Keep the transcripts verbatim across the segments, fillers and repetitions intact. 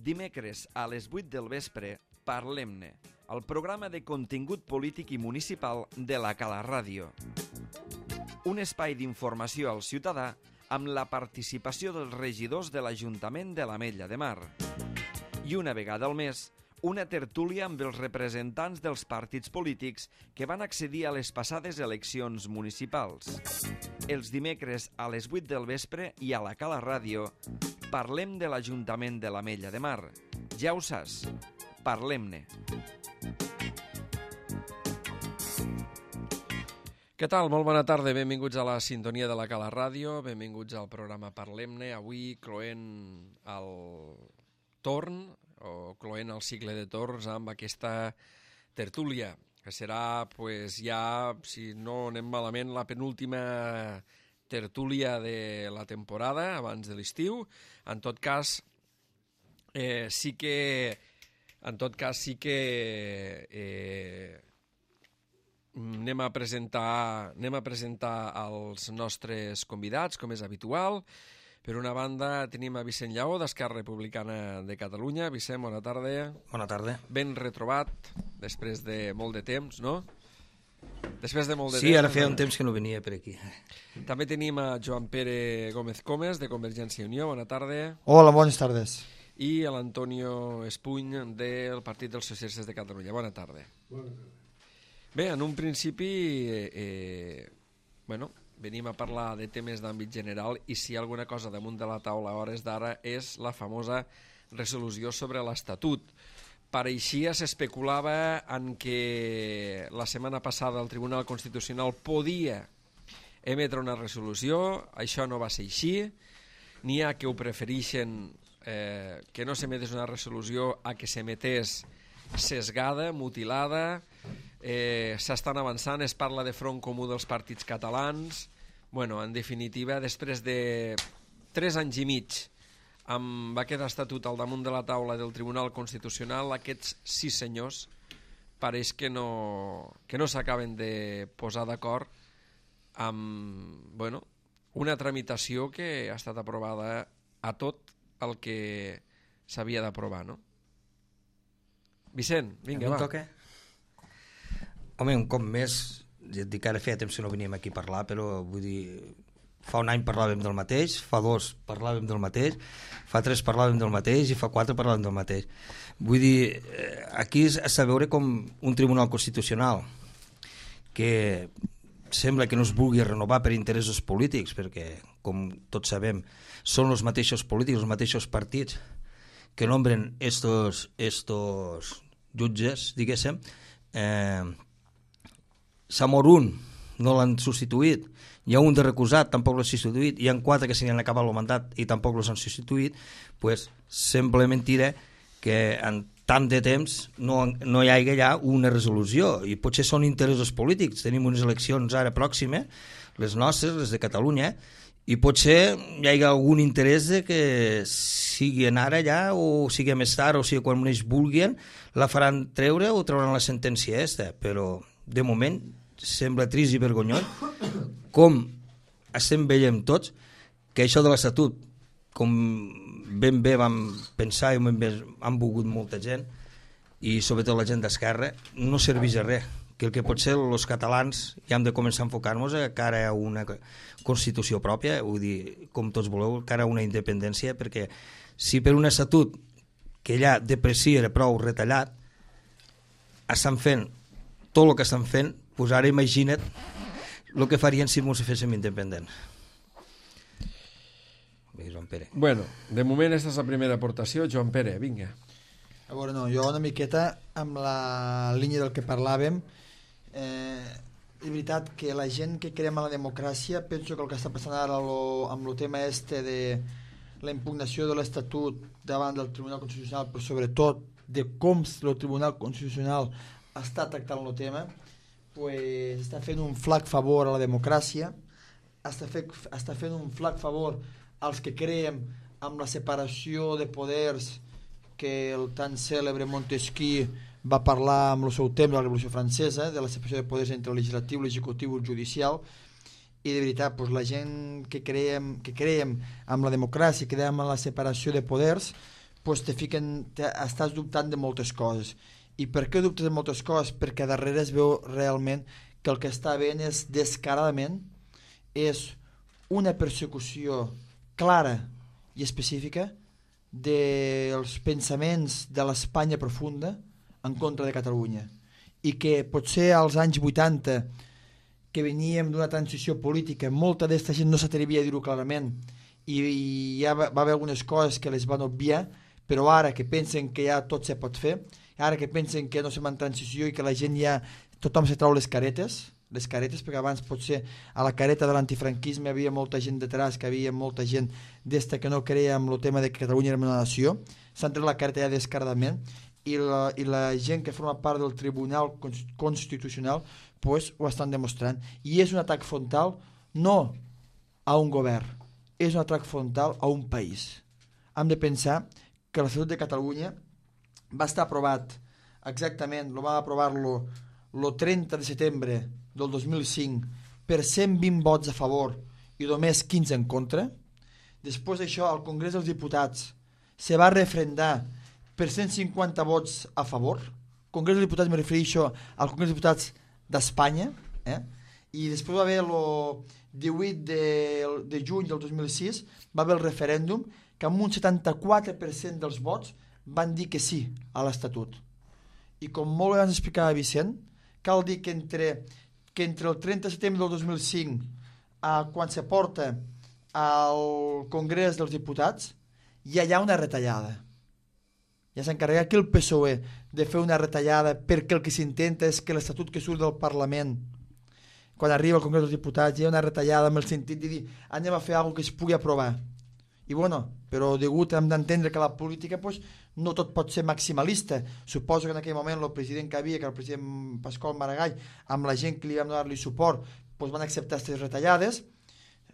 Dimecres a les vuit del vespre, Parlem-ne, el programa de contingut polític i municipal de la Cala Ràdio. Un espai d'informació al ciutadà amb la participació dels regidors de l'Ajuntament de l'Ametlla de Mar. I una vegada al mes, una tertúlia amb els representants dels partits polítics que van accedir a les passades eleccions municipals. Els dimecres a les vuit del vespre i a la Cala Ràdio parlem de l'Ajuntament de l'Ametlla de Mar. Ja ho saps, parlem-ne. Què tal? Molt bona tarda, benvinguts a la sintonia de la Cala Ràdio, benvinguts al programa Parlem-ne, avui cloent el torn, o cloent el cicle de torns amb aquesta tertúlia, que serà, pues, ja, si no anem malament, la penúltima tertúlia de la temporada, abans de l'estiu. En tot cas, eh, sí que... En tot cas, sí que... Eh, anem a presentar, anem a presentar els nostres convidats, com és habitual. Per una banda, tenim a Vicent Lleó, d'Esquerra Republicana de Catalunya. Vicent, bona tarda. Bona tarda. Ben retrobat, després de molt de temps, no? Després de molt de sí, temps. Sí, ara feia un temps que no venia per aquí. També tenim a Joan Pere Gómez Comes, de Convergència i Unió. Bona tarda. Hola, bones tardes. I a l'Antonio Espuny, del Partit dels Socialistes de Catalunya. Bona tarda. Bona tarda. Bé, en un principi, eh, eh, bueno, venim a parlar de temes d'àmbit general i si hi ha alguna cosa damunt de la taula a hores d'ara és la famosa resolució sobre l'Estatut. Pareixia, s'especulava en que la setmana passada el Tribunal Constitucional podia emetre una resolució, això no va ser així, n'hi ha que ho prefereixen eh, que no s'emetés una resolució a que s'emetés sesgada, mutilada. Eh, s'estan avançant, es parla de front comú dels partits catalans. Bueno, en definitiva, després de tres anys i mig amb aquest estatut al damunt de la taula del Tribunal Constitucional, aquests sis senyors pareix que no, que no s'acaben de posar d'acord amb, bueno, una tramitació que ha estat aprovada a tot el que s'havia d'aprovar, no? Vicent, vinga, va. Toca? Home, un cop més, ja et dic que ara feia temps que no veníem aquí a parlar, però vull dir, fa un any parlàvem del mateix, fa dos parlàvem del mateix, fa tres parlàvem del mateix i fa quatre parlàvem del mateix. Vull dir, aquí és a veure com un tribunal constitucional que sembla que no es vulgui renovar per interessos polítics, perquè, com tots sabem, són els mateixos polítics, els mateixos partits que nombren estos, estos jutges, diguéssim. Eh, s'ha mort un, no l'han substituït, hi ha un de recusat, tampoc l'han substituït, hi ha quatre que se n'han acabat el mandat i tampoc l'han substituït, pues simplement diré que en tant de temps no, no hi hagi ja una resolució i potser són interessos polítics. Tenim unes eleccions ara pròximes, les nostres, les de Catalunya, i potser hi hagi algun interès de que siguin ara ja o sigui més tard, o sigui quan ells vulguin la faran treure o trauran la sentència aquesta, però de moment sembla trist i vergonyós com estem veient tots que això de l'Estatut, com ben bé vam pensar i ben bé han volgut molta gent i sobretot la gent d'Esquerra, no serveix a res, que el que potser els catalans ja hem de començar a enfocar-nos a cara a una Constitució pròpia, vull dir, com tots voleu, cara a una independència, perquè si per un Estatut que ja de per si era prou retallat estan fent tot el que estan fent, doncs ara imagina't el que farien si ens féssim independents. Joan Pere. Bueno, de moment aquesta és la primera aportació. Joan Pere, vinga. A veure, no, jo una miqueta amb la línia del que parlàvem, eh, és veritat que la gent que creiem en la democràcia, penso que el que està passant ara lo, amb el tema este de la impugnació de l'Estatut davant del Tribunal Constitucional, però sobretot de com el Tribunal Constitucional està tractant el tema, pues, està fent un flac favor a la democràcia, està, fe, està fent un flac favor als que creiem amb la separació de poders que el tan cèlebre Montesquieu va parlar amb el seu temps de la Revolució Francesa, de la separació de poders entre el legislatiu, l'executiu i el judicial, i de veritat, pues, la gent que creiem, que creiem amb la democràcia, que creiem en la separació de poders, pues te fiquen, te, estàs dubtant de moltes coses. I per què dubtes de moltes coses? Perquè darrere es veu realment que el que està veient és descaradament és una persecució clara i específica dels pensaments de l'Espanya profunda en contra de Catalunya, i que potser als anys vuitanta, que veníem d'una transició política, molta d'esta gent no s'atrevia a dir-ho clarament, i, i ja va, va haver algunes coses que les van obviar, però ara que pensen que ja tot se pot fer, ara que pensen que no som en transició i que la gent ja, tothom se trau les caretes, les caretes, perquè abans potser a la careta de l'antifranquisme hi havia molta gent detrás, que havia molta gent d'esta que no creia en el tema de que Catalunya era una nació, s'han tret la careta ja descaradament, i la, i la gent que forma part del Tribunal Constitucional pues, ho estan demostrant, i és un atac frontal no a un govern, és un atac frontal a un país. Hem de pensar que l'Estatut de Catalunya va estar aprovat exactament, lo va aprovar-lo el trenta de setembre del dos mil cinc per cent vint vots a favor i només quinze en contra. Després d'això, al Congrés dels Diputats se va refrendar per cent cinquanta vots a favor. Congrés dels Diputats, me refereixo al Congrés dels Diputats d'Espanya, eh? I després va haver el divuit de, de juny del dos mil sis, va haver el referèndum que amb un setanta-quatre per cent dels vots van dir que sí a l'Estatut. I com molt bé ens explicava Vicent, cal dir que entre, que entre el trenta de setembre del dos mil cinc a quan se porta al Congrés dels Diputats ja hi ha una retallada. Ja s'ha encarregat aquí el P S O E de fer una retallada perquè el que s'intenta és que l'Estatut que surt del Parlament, quan arriba al Congrés dels Diputats, hi ha una retallada amb el sentit de dir anem a fer alguna que es pugui aprovar. I bueno, però degut hem d'entendre que la política pues, no tot pot ser maximalista. Suposo que en aquell moment el president que havia, que el president Pasqual Maragall, amb la gent que li vam donar-li suport, pues, van acceptar aquestes retallades.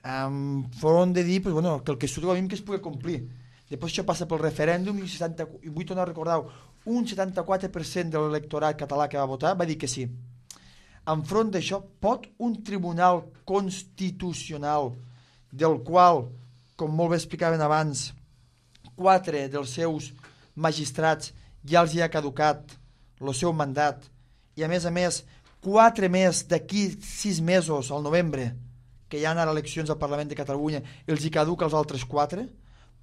Um, foren de dir pues, bueno, que el que surt que es pugui complir. Després això passa pel referèndum i, setanta, i vull tornar a recordar, un setanta-quatre per cent de l'electorat català que va votar va dir que sí. Enfront d'això, pot un tribunal constitucional del qual, com molt bé explicaven abans, quatre dels seus magistrats ja els hi ha caducat el seu mandat i a més a més quatre més d'aquí sis mesos al novembre que hi ha ara eleccions al Parlament de Catalunya els hi caduca els altres quatre?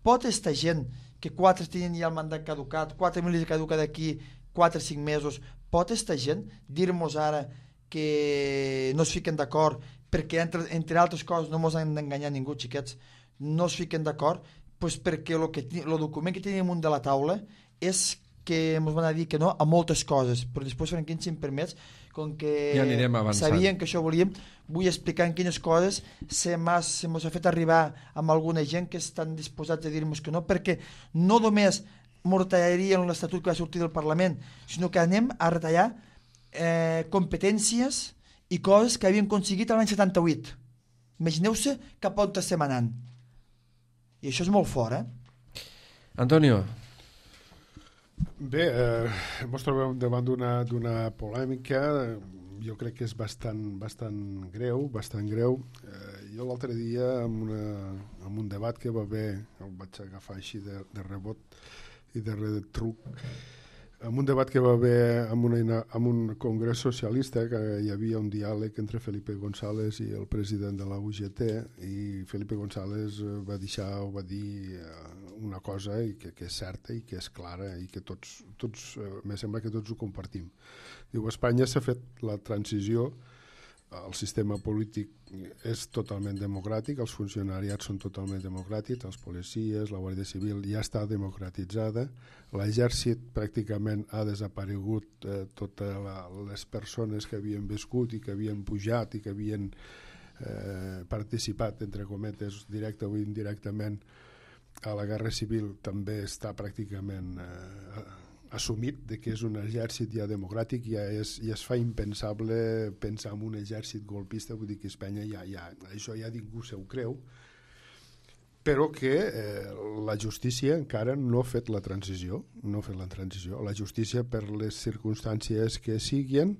Pot esta gent que quatre tenen ja el mandat caducat, quatre mil els caduca d'aquí quatre o cinc mesos, pot esta gent dir-nos ara que no es fiquen d'acord perquè entre, entre altres coses no ens han d'enganyar ningú, xiquets, no es fiquen d'acord pues perquè el que, lo document que tenim amunt de la taula és que ens van a dir que no a moltes coses, però després, Franquín, si em permets, com que ja sabien que això volíem, vull explicar en quines coses se mos ha fet arribar amb alguna gent que estan disposats a dir-nos que no, perquè no només ens retallarien l'Estatut que va sortir del Parlament, sinó que anem a retallar eh, competències i coses que havien aconseguit l'any setanta-vuit. Imagineu-se cap on estem anant. I això és molt fort, eh? Antonio. Bé, eh, ens trobem davant d'una polèmica, jo crec que és bastant, bastant greu, bastant greu. Eh, jo l'altre dia, en, una, en un debat que va haver, el vaig agafar així de, de rebot i de retruc, en un debat que va haver en, una, en un congrés socialista, que hi havia un diàleg entre Felipe González i el president de la U G T, i Felipe González va deixar o va dir una cosa i que, que és certa i que és clara i que tots, tots me sembla que tots ho compartim. Diu, a Espanya s'ha fet la transició, el sistema polític és totalment democràtic, els funcionariats són totalment democràtics, els policies, la Guàrdia Civil ja està democratitzada, l'exèrcit pràcticament ha desaparegut eh, totes les persones que havien viscut i que havien pujat i que havien eh, participat, entre cometes, directe o indirectament a la Guerra Civil, també està pràcticament eh, assumit de que és un exèrcit ja democràtic, ja, és, ja es fa impensable pensar en un exèrcit golpista, vull dir que Espanya ja, ja, això ja ningú se ho creu, però que eh, la justícia encara no ha fet la transició, no ha fet la transició. La justícia, per les circumstàncies que siguin,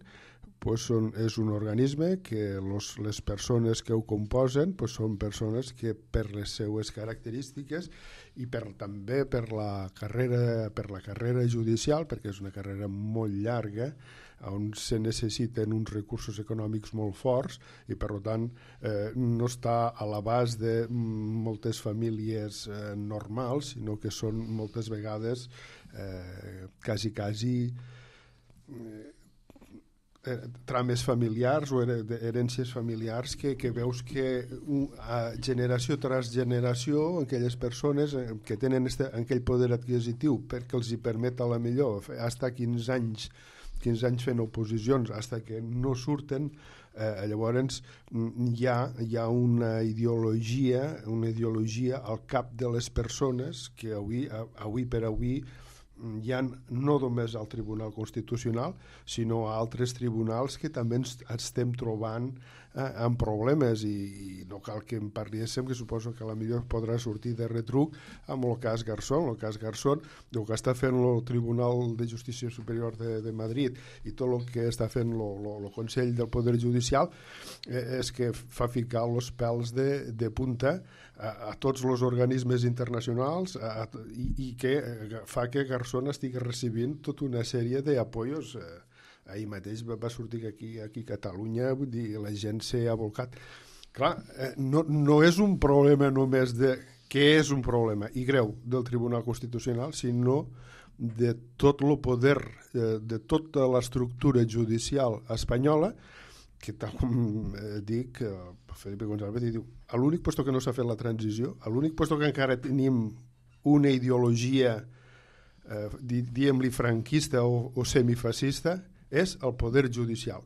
pues, són, és un organisme que los, les persones que ho composen pues, són persones que per les seues característiques i per, també per la, carrera, per la carrera judicial, perquè és una carrera molt llarga, on se necessiten uns recursos econòmics molt forts i per tant eh, no està a l'abast de moltes famílies eh, normals, sinó que són moltes vegades eh, quasi quasi eh, trames familiars o herències familiars que, que veus que uh, generació tras generació aquelles persones que tenen este, aquell poder adquisitiu perquè els hi permet a la millor fins quinze anys quinze anys fent oposicions fins que no surten, eh, llavors hi ha, hi ha una ideologia una ideologia al cap de les persones que avui, avui per avui hi ha no només al Tribunal Constitucional sinó a altres tribunals que també ens estem trobant eh, amb problemes i, i no cal que en parléssim, que suposo que a la millor podrà sortir de retruc amb el cas Garzón. El cas Garzón, el que està fent el Tribunal de Justícia Superior de, de Madrid i tot el que està fent el Consell del Poder Judicial eh, és que fa ficar els pèls de, de punta a, a tots els organismes internacionals a, a, i, i que eh, fa que Garzón estigui recibint tota una sèrie d'apoyos. Eh, ahir mateix va, va sortir que aquí, aquí a Catalunya, vull dir, la gent s'ha volcat. Clar, eh, no, no és un problema només de què és un problema i greu del Tribunal Constitucional, sinó de tot el poder, eh, de tota l'estructura judicial espanyola, que tal com eh, dic, eh, Felipe González diu, a l'únic puesto que no s'ha fet la transició, a l'únic puesto que encara tenim una ideologia eh, diguem-li franquista o, o semifascista, és el poder judicial.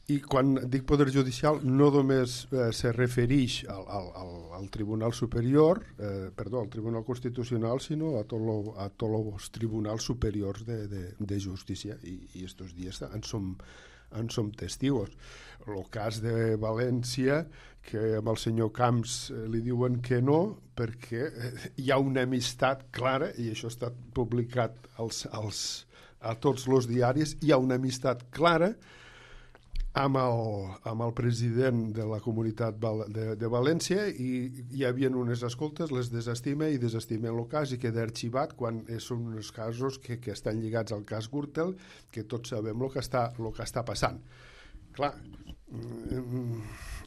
I quan dic poder judicial no només eh, se refereix al, al, al, al Tribunal Superior, eh, perdó, al Tribunal Constitucional, sinó a tots a tots els tribunals superiors de, de, de justícia. I, i estos dies en som, en som testigos. El cas de València, que amb el senyor Camps eh, li diuen que no, perquè eh, hi ha una amistat clara, i això ha estat publicat als, als a tots els diaris, hi ha una amistat clara amb el, amb el president de la comunitat de, de València i hi havia unes escoltes, les desestima i desestimen el cas i queda arxivat quan són uns casos que, que estan lligats al cas Gürtel, que tots sabem el que està, el que està passant. Clar,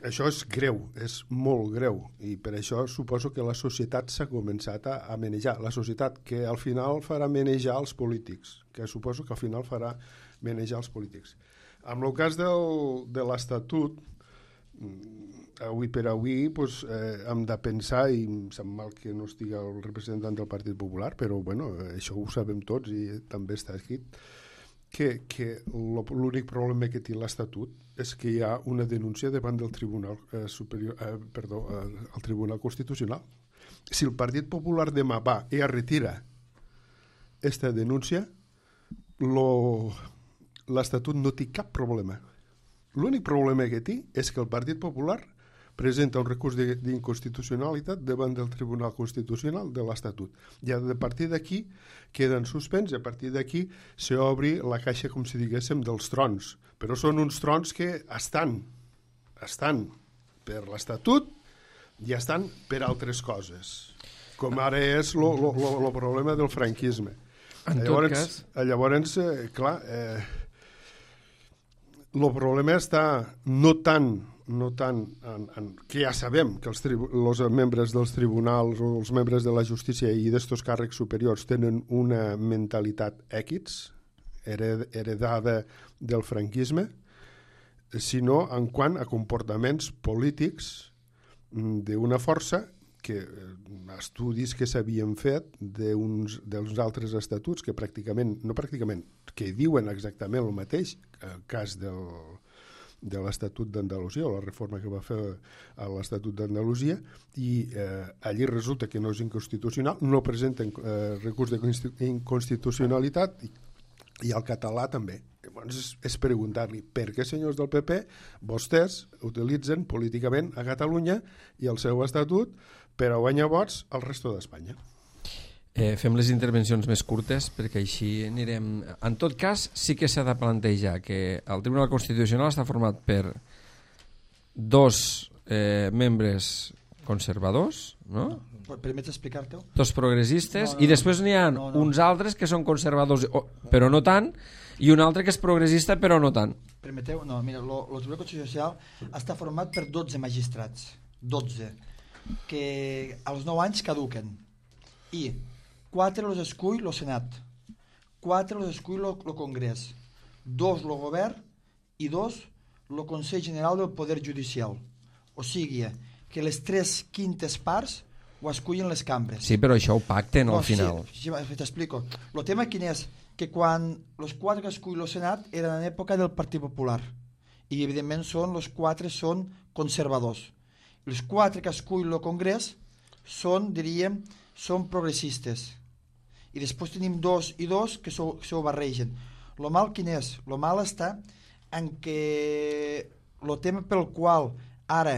això és greu, és molt greu i per això suposo que la societat s'ha començat a, a manejar, la societat que al final farà manejar els polítics, que suposo que al final farà manejar els polítics. En el cas del, de l'Estatut, avui per avui pues, eh, hem de pensar, i em sap mal que no estigui el representant del Partit Popular, però bueno, això ho sabem tots i també està escrit, que, que l'únic problema que té l'Estatut és que hi ha una denúncia davant del Tribunal eh, Superior, eh, perdó, eh, el Tribunal Constitucional. Si el Partit Popular demà va i es retira aquesta denúncia, l'Estatut no té cap problema. L'únic problema que té és que el Partit Popular presenta un recurs d'inconstitucionalitat davant del Tribunal Constitucional de l'Estatut. I a partir d'aquí queden suspens i a partir d'aquí s'obri la caixa, com si diguéssim, dels trons. Però són uns trons que estan, estan per l'Estatut i estan per altres coses, com ara és el problema del franquisme. En llavors, tot cas... Llavors, eh, clar, eh, el problema està no tant no tant en, en, que ja sabem que els, els membres dels tribunals o els membres de la justícia i d'estos càrrecs superiors tenen una mentalitat èquits heredada del franquisme, sinó en quant a comportaments polítics d'una força que estudis que s'havien fet d'uns dels altres estatuts que pràcticament, no pràcticament, que diuen exactament el mateix, el cas del de l'Estatut d'Andalusia o la reforma que va fer a l'Estatut d'Andalusia i eh, allí resulta que no és inconstitucional, no presenten eh, recurs d'inconstitucionalitat i, i el català també. Llavors és, és preguntar-li per què, senyors del P P, vostès utilitzen políticament a Catalunya i el seu estatut per a guanyar vots al resto d'Espanya. Eh, fem les intervencions més curtes perquè així anirem... En tot cas, sí que s'ha de plantejar que el Tribunal Constitucional està format per dos eh, membres conservadors, no? Permets explicar-te-ho? Dos progressistes, no, no, i després n'hi ha no, no. uns altres que són conservadors, però no tant, i un altre que és progressista, però no tant. Permeteu? No, mira, el Tribunal Constitucional està format per dotze magistrats, dotze, que als nou anys caduquen, i quatre els escull el Senat, quatre els escull el Congrés, dos el Govern i dos el Consell General del Poder Judicial. O sigui, que les tres quintes parts ho escullen les cambres. Sí, però això ho pacten no, al final. Sí, sí, t'explico. El tema quin és? Que quan els quatre que escull el Senat eren en època del Partit Popular, i evidentment són, els quatre són conservadors. Els quatre que escull el Congrés són, diríem, són progressistes. I després tenim dos i dos que se ho barregen. Lo mal quin és? Lo mal està en que el tema pel qual ara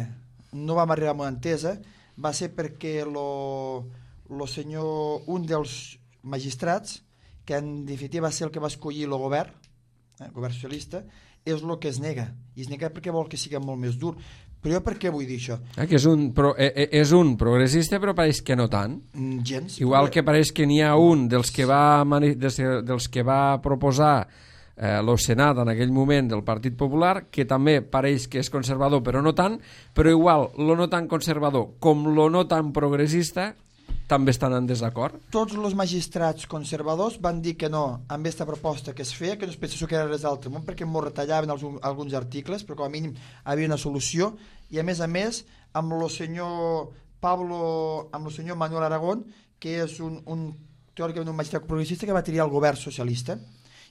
no vam arribar a una entesa va ser perquè lo, lo senyor, un dels magistrats, que en definitiva va ser el que va escollir el govern, eh, el govern socialista, és el que es nega. I es nega perquè vol que sigui molt més dur. Però jo per què vull dir això? Eh, que és un, pro, eh, és un progressista, però pareix que no tant. Mm, gens. Igual però... que pareix que n'hi ha un dels que va, dels, dels que va proposar eh, el Senat en aquell moment del Partit Popular, que també pareix que és conservador, però no tant, però igual lo no tan conservador com lo no tan progressista també estan en desacord. Tots els magistrats conservadors van dir que no amb aquesta proposta que es feia, que no es pensés que era res d'altre món, perquè m'ho retallaven els, alguns articles, però com a mínim havia una solució, i a més a més amb el senyor Pablo, amb el senyor Manuel Aragón, que és un, un teòricament un magistrat progressista que va triar el govern socialista,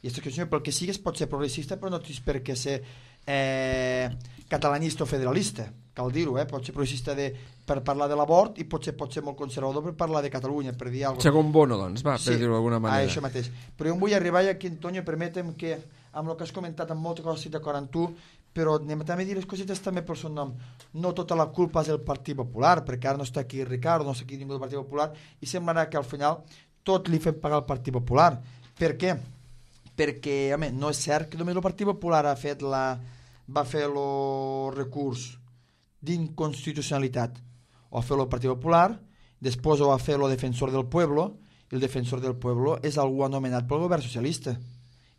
i aquesta qüestió, pel que sigues, pot ser progressista, però no tens per què ser eh, catalanista o federalista, cal dir-ho, eh? Pot ser progressista de, per parlar de l'abort i potser pot ser molt conservador per parlar de Catalunya, per dir alguna cosa. Segon Bono, doncs, va, per sí, dir-ho d'alguna manera. Sí, això mateix. Però jo em vull arribar aquí, Antonio, permetem que, amb el que has comentat, amb moltes coses estic d'acord amb tu, però anem també a dir les cosetes també pel seu nom. No tota la culpa és del Partit Popular, perquè ara no està aquí Ricardo, no està aquí ningú del Partit Popular, i semblarà que al final tot li fem pagar al Partit Popular. Per què? Perquè, home, no és cert que només el Partit Popular ha fet la, va fer el recurs d'inconstitucionalitat. Ho va fer el Partit Popular, després ho va fer el Defensor del Pueblo, i el Defensor del Pueblo és algú anomenat pel govern socialista.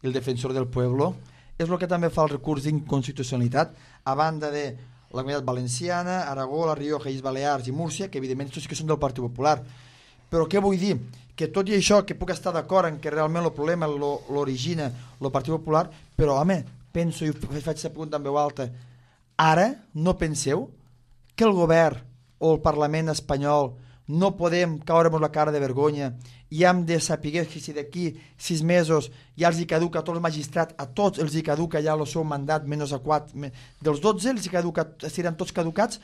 I el Defensor del Pueblo és el que també fa el recurs d'inconstitucionalitat, a banda de la Comunitat Valenciana, Aragó, La Rioja, Illes Balears i Múrcia, que evidentment tots que són del Partit Popular. Però què vull dir? Que tot i això, que puc estar d'acord en que realment el problema l'origina el Partit Popular, però home, penso, i faig aquesta pregunta en veu alta, ara no penseu que el govern o el Parlament espanyol no podem caure-nos la cara de vergonya i hem de saber que si d'aquí sis mesos ja els hi caduca a tots els magistrats, a tots els hi caduca ja el seu mandat, menys a quatre, dels dotze els hi caduca, seran tots caducats,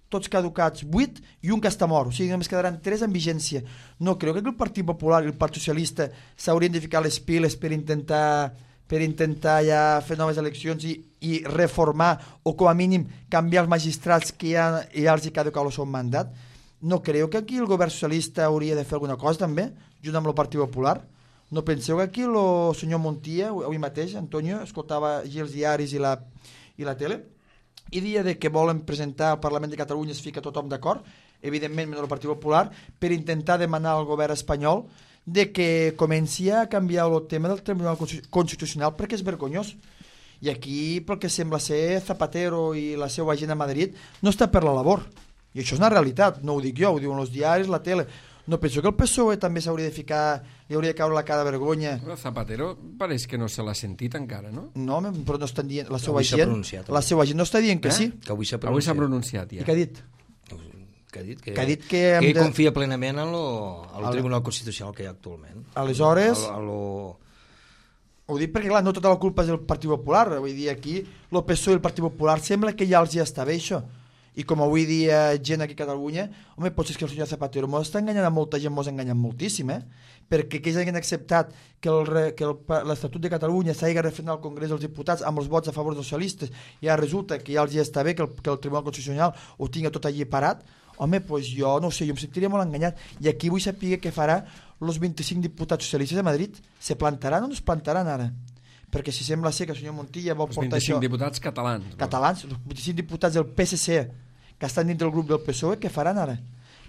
tots caducats vuit i un que està mort, o sigui només quedaran tres en vigència. No, crec que el Partit Popular i el Partit Socialista s'haurien de ficar les piles per intentar per intentar ja fer noves eleccions i, i reformar o com a mínim canviar els magistrats que ja, ja els hi caduca el seu mandat. No creu que aquí el govern socialista hauria de fer alguna cosa també, junt amb el Partit Popular? No penseu que aquí el senyor Montia, avui mateix, Antonio, escoltava allí els diaris i la, i la tele, i dia de que volen presentar al Parlament de Catalunya, es fica tothom d'acord, evidentment menys el Partit Popular, per intentar demanar al govern espanyol de que comenci a canviar el tema del Tribunal Constitucional perquè és vergonyós. I aquí, pel que sembla ser, Zapatero i la seva gent a Madrid no està per la labor. I això és una realitat, no ho dic jo, ho diuen els diaris, la tele. No penso que el P S O E també s'hauria de ficar, li hauria de caure la cara de vergonya. Però Zapatero pareix que no se l'ha sentit encara, no? No, però no estan dient, la seva gent, la seva gent no està dient que eh? sí. Que avui s'ha pronunciat. Avui s'ha pronunciat, ja. I què ha dit? Que ha dit que, que, ha dit que, que de... confia plenament en lo, el Tribunal Constitucional que hi ha actualment. Aleshores... A, a lo... Ho dic perquè, clar, no tota la culpa és del Partit Popular. Vull dir, aquí el P S O E i el Partit Popular sembla que ja els hi està bé això. I com avui dia gent aquí a Catalunya, home, potser és que el senyor Zapatero mos està enganyant a molta gent, mos ha enganyat moltíssim, eh? Perquè aquells que han acceptat que l'Estatut de Catalunya s'hagi referendat al Congrés dels Diputats amb els vots a favor dels socialistes i ja resulta que ja els hi està bé que el, que el Tribunal Constitucional ho tinga tot allí parat, home, doncs jo no sé, jo em sentiria molt enganyat. I aquí vull saber què farà els vint-i-cinc diputats socialistes de Madrid se plantaran o no es plantaran ara? Perquè si sembla ser que el senyor Montilla vol portar això... Els vint-i-cinc diputats catalans. Catalans, els vint-i-cinc diputats del P S C que estan dins del grup del P S O E, què faran ara?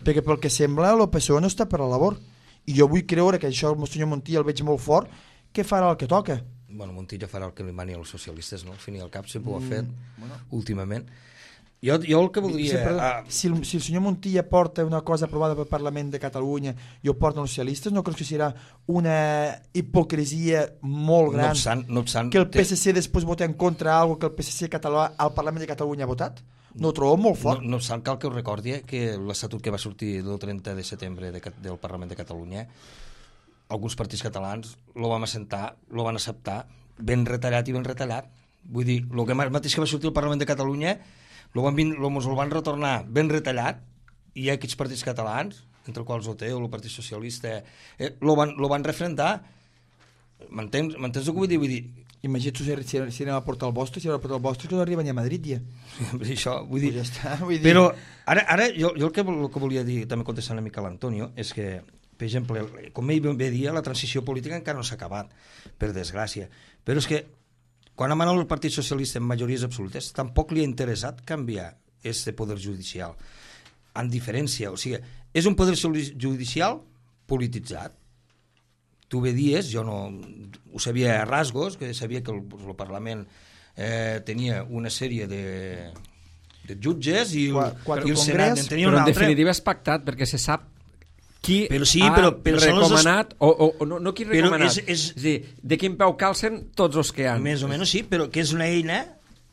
Perquè pel que sembla el P S O E no està per la labor. I jo vull creure que això el senyor Montilla el veig molt fort, què farà el que toca? Bueno, Montilla farà el que li mani als socialistes, no? Al fin i al cap sempre ho ha fet, mm, bueno. últimament. Jo, jo el que voldria... Sí, però, ah, si, el, si el senyor Montilla porta una cosa aprovada pel Parlament de Catalunya i ho porten els socialistes, no crec que serà una hipocresia molt gran no obstant, no obstant, que el P S C després voti en contra algo que el P S C català al Parlament de Catalunya ha votat? No ho trobo molt fort. No, no obstant, cal que us recordi que l'estatut que va sortir el trenta de setembre de, del Parlament de Catalunya, alguns partits catalans lo vam assentar, lo van acceptar ben retallat i ben retallat. Vull dir, el que mateix que va sortir al Parlament de Catalunya lo van, lo, mos el van retornar ben retallat, i aquests partits catalans, entre els quals O T o el Partit Socialista, eh, lo, van, lo van refrendar. M'entens el que vull dir? Vull dir imagina't si, si, si anem a portar el vostre, si anem a portar el vostre, que no arriba ni a Madrid ja. Això, vull dir... Pues ja està, vull dir... Però ara, ara jo, jo el, que, el que volia dir, també contestant una mica a l'Antonio, és que, per exemple, com ell bé dia, la transició política encara no s'ha acabat, per desgràcia. Però és que, quan ha manat el Partit Socialista en majories absolutes, tampoc li ha interessat canviar este poder judicial. En diferència, o sigui, és un poder judicial polititzat. Tu bé dies, jo no ho sabia a rasgos, que sabia que el, el Parlament eh, tenia una sèrie de, de jutges i el, quatre i el Senat en tenia però un en altre. definitiva és pactat perquè se sap qui però sí, ha però, però recomanat els... o, o no, no qui recomanat, és, és... és dir, de quin peu calcen tots els que han. Més o menys sí, però que és una eina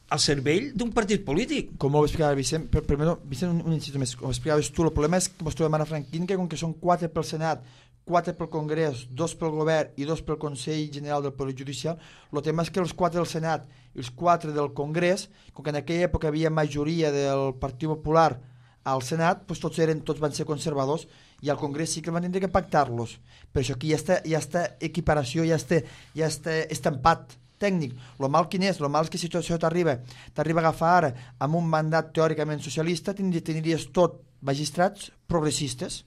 al servei d'un partit polític. Com ho explicava Vicent, per, primer, Vicent un, un incís més, com ho explicaves tu, el problema és que ens trobem ara Franquín, que com que són quatre pel Senat, quatre pel Congrés, dos pel Govern i dos pel Consell General del Poder Judicial, el tema és que els quatre del Senat i els quatre del Congrés, com que en aquella època havia majoria del Partit Popular al Senat, doncs tots, eren, tots van ser conservadors, i al Congrés sí que van tindre que pactar-los. Per això aquí ja està, ja està equiparació, ja està, ja està estampat tècnic. Lo mal quin és? Lo mal és que si això t'arriba t'arriba a agafar ara amb un mandat teòricament socialista, tindries tot magistrats progressistes,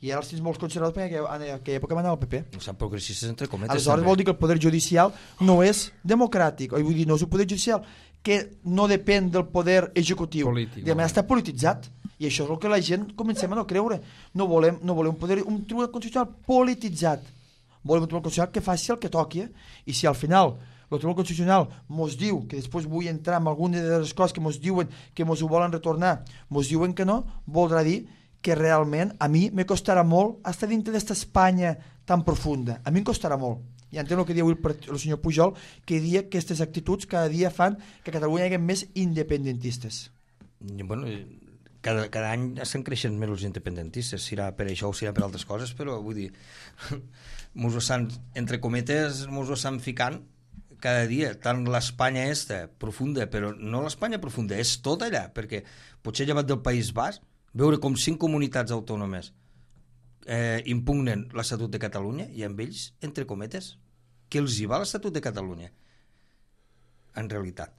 i ara els tens molts conservadors perquè en aquella època van anar al P P. No són progressistes entre cometes. Aleshores vol dir que el poder judicial no és democràtic, o vull dir, no és un poder judicial que no depèn del poder executiu. Polític, de manera està polititzat, i això és el que la gent comencem a no creure. No volem, no volem un, poder, un tribunal constitucional polititzat. Volem un tribunal constitucional que faci el que toqui, i si al final el Tribunal Constitucional mos diu, que després vull entrar en alguna de les coses que mos diuen que mos ho volen retornar, mos diuen que no, voldrà dir que realment a mi me costarà molt estar dintre d'esta Espanya tan profunda. A mi em costarà molt. I entenc el que diu el, el senyor Pujol, que dia que aquestes actituds cada dia fan que a Catalunya hi hagi més independentistes. Bueno, cada, cada any estan creixent més els independentistes, serà per això o serà per altres coses, però vull dir, mos ho estan, entre cometes, mos ho estan ficant cada dia, tant l'Espanya esta, profunda, però no l'Espanya profunda, és tot allà, perquè potser llevat del País Basc, veure com cinc comunitats autònomes eh, impugnen l'Estatut de Catalunya i amb ells, entre cometes, que els hi va l'Estatut de Catalunya, en realitat.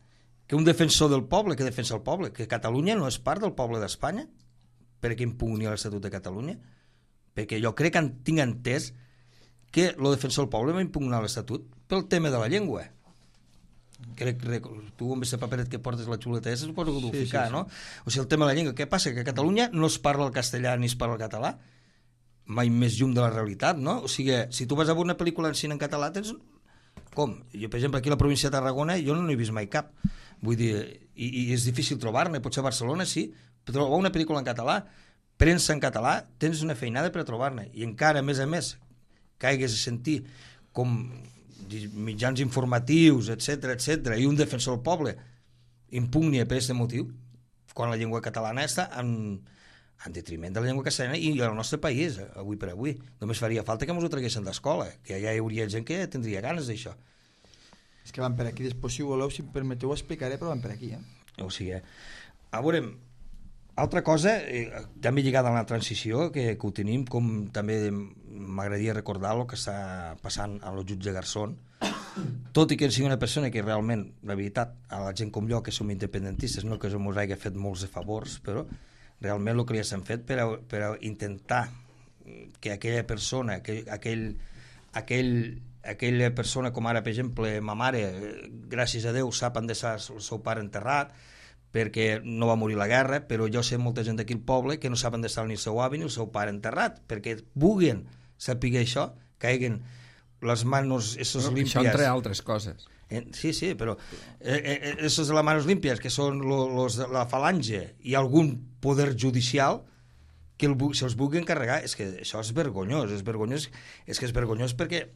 Que un defensor del poble, que defensa el poble, que Catalunya no és part del poble d'Espanya, perquè impugni l'Estatut de Catalunya, perquè jo crec que tinc entès que el defensor del poble va impugnar l'Estatut pel tema de la llengua. Crec que tu amb aquest paperet que portes la xuleta esa suposo que ho sí, ficar, sí, sí. No? O sigui, el tema de la llengua, què passa? Que a Catalunya no es parla el castellà ni es parla el català, mai més llum de la realitat, no? O sigui, si tu vas a veure una pel·lícula en cine en català, tens... Com? Jo, per exemple, aquí a la província de Tarragona jo no n'he vist mai cap. Vull dir, i, i és difícil trobar-ne, potser a Barcelona sí, però trobar una pel·lícula en català, premsa en català, tens una feinada per a trobar-ne. I encara, a més a més, que hagués de sentir com mitjans informatius, etcètera, etcètera, i un defensor del poble impugnia per aquest motiu, quan la llengua catalana està en, en detriment de la llengua castellana i el nostre país, avui per avui. Només faria falta que ens ho traguessin d'escola, que ja hi hauria gent que tindria ganes d'això. És que van per aquí, després si voleu, si em permeteu ho explicaré, però van per aquí, eh? O sigui, a veure, altra cosa, eh, també lligada a la transició, que, que ho tenim, com també m'agradaria recordar el que està passant a el jutge Garzón, tot i que sigui una persona que realment, la veritat, a la gent com jo, que som independentistes, no que ens hagi fet molts de favors, però realment el que li s'han fet per a, per a intentar que aquella persona, que aquell, aquell, aquella persona, com ara, per exemple, ma mare, gràcies a Déu, sap on està el seu pare enterrat, perquè no va morir a la guerra, però jo sé molta gent d'aquí al poble que no saben d'estar ni el seu avi ni el seu pare enterrat, perquè vulguin saber això, que hagin les manos esos no, limpias. Això entre altres coses. Eh, sí, sí, però eh, eh, esos de las manos limpias, que són lo, los de la falange i algun poder judicial que el, se'ls vulgui encarregar, és que això és vergonyós, és vergonyós, és que és vergonyós perquè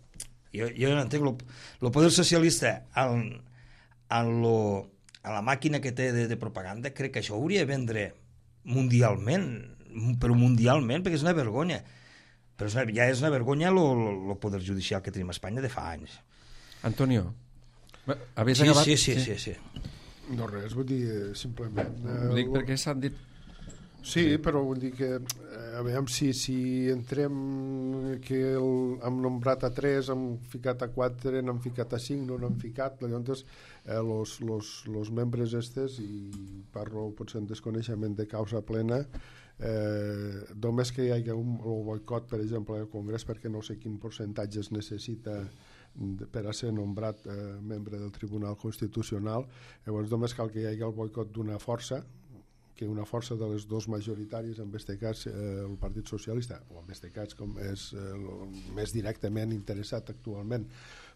jo, jo no entenc, el poder socialista en, en lo a la màquina que té de, de propaganda, crec que això hauria de vendre mundialment, però mundialment, perquè és una vergonya. Però és una, ja és una vergonya el poder judicial que tenim a Espanya de fa anys. Antonio, havies sí, acabat? Sí, sí, sí, sí, sí. No res, vull dir, simplement... Eh, Ho dic perquè s'han dit... Sí, però vull dir que, a veure, si, si entrem que el, hem nombrat a tres, hem ficat a quatre, n'hem ficat a cinc, no n'hem ficat, llavors eh, los, los, los membres estes, i parlo potser en desconeixement de causa plena, eh, només que hi hagi un, un boicot, per exemple, al Congrés, perquè no sé quin percentatge es necessita per a ser nombrat eh, membre del Tribunal Constitucional, llavors només cal que hi hagi el boicot d'una força, que una força de les dos majoritàries, en aquest cas eh, el Partit Socialista, o en aquest cas com és eh, el més directament interessat actualment